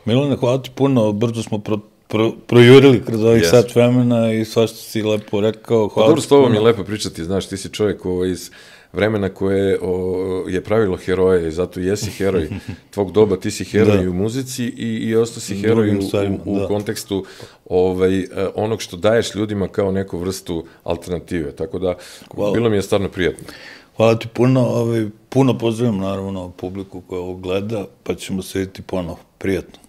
Milane, hvala ti puno, brzo smo pro, pro, projurili kroz ovih yes. sat vremena i sva što si lepo rekao. Hvala. Pa dobro, s tobom je lepo pričati, znaš, ti si čovjek ovo, iz vremena koje o, je pravilo heroje i zato jesi heroj tvog doba, ti si heroj u muzici i, i ostao si heroj u, stvarima, u, u kontekstu ovaj, onog što daješ ljudima kao neku vrstu alternative, tako da hvala. Bilo mi je stvarno prijatno. Hvala ti puno, ovaj, puno pozdravljam naravno publiku koja ovo gleda, pa ćemo se vidjeti ponovo. Prijatno.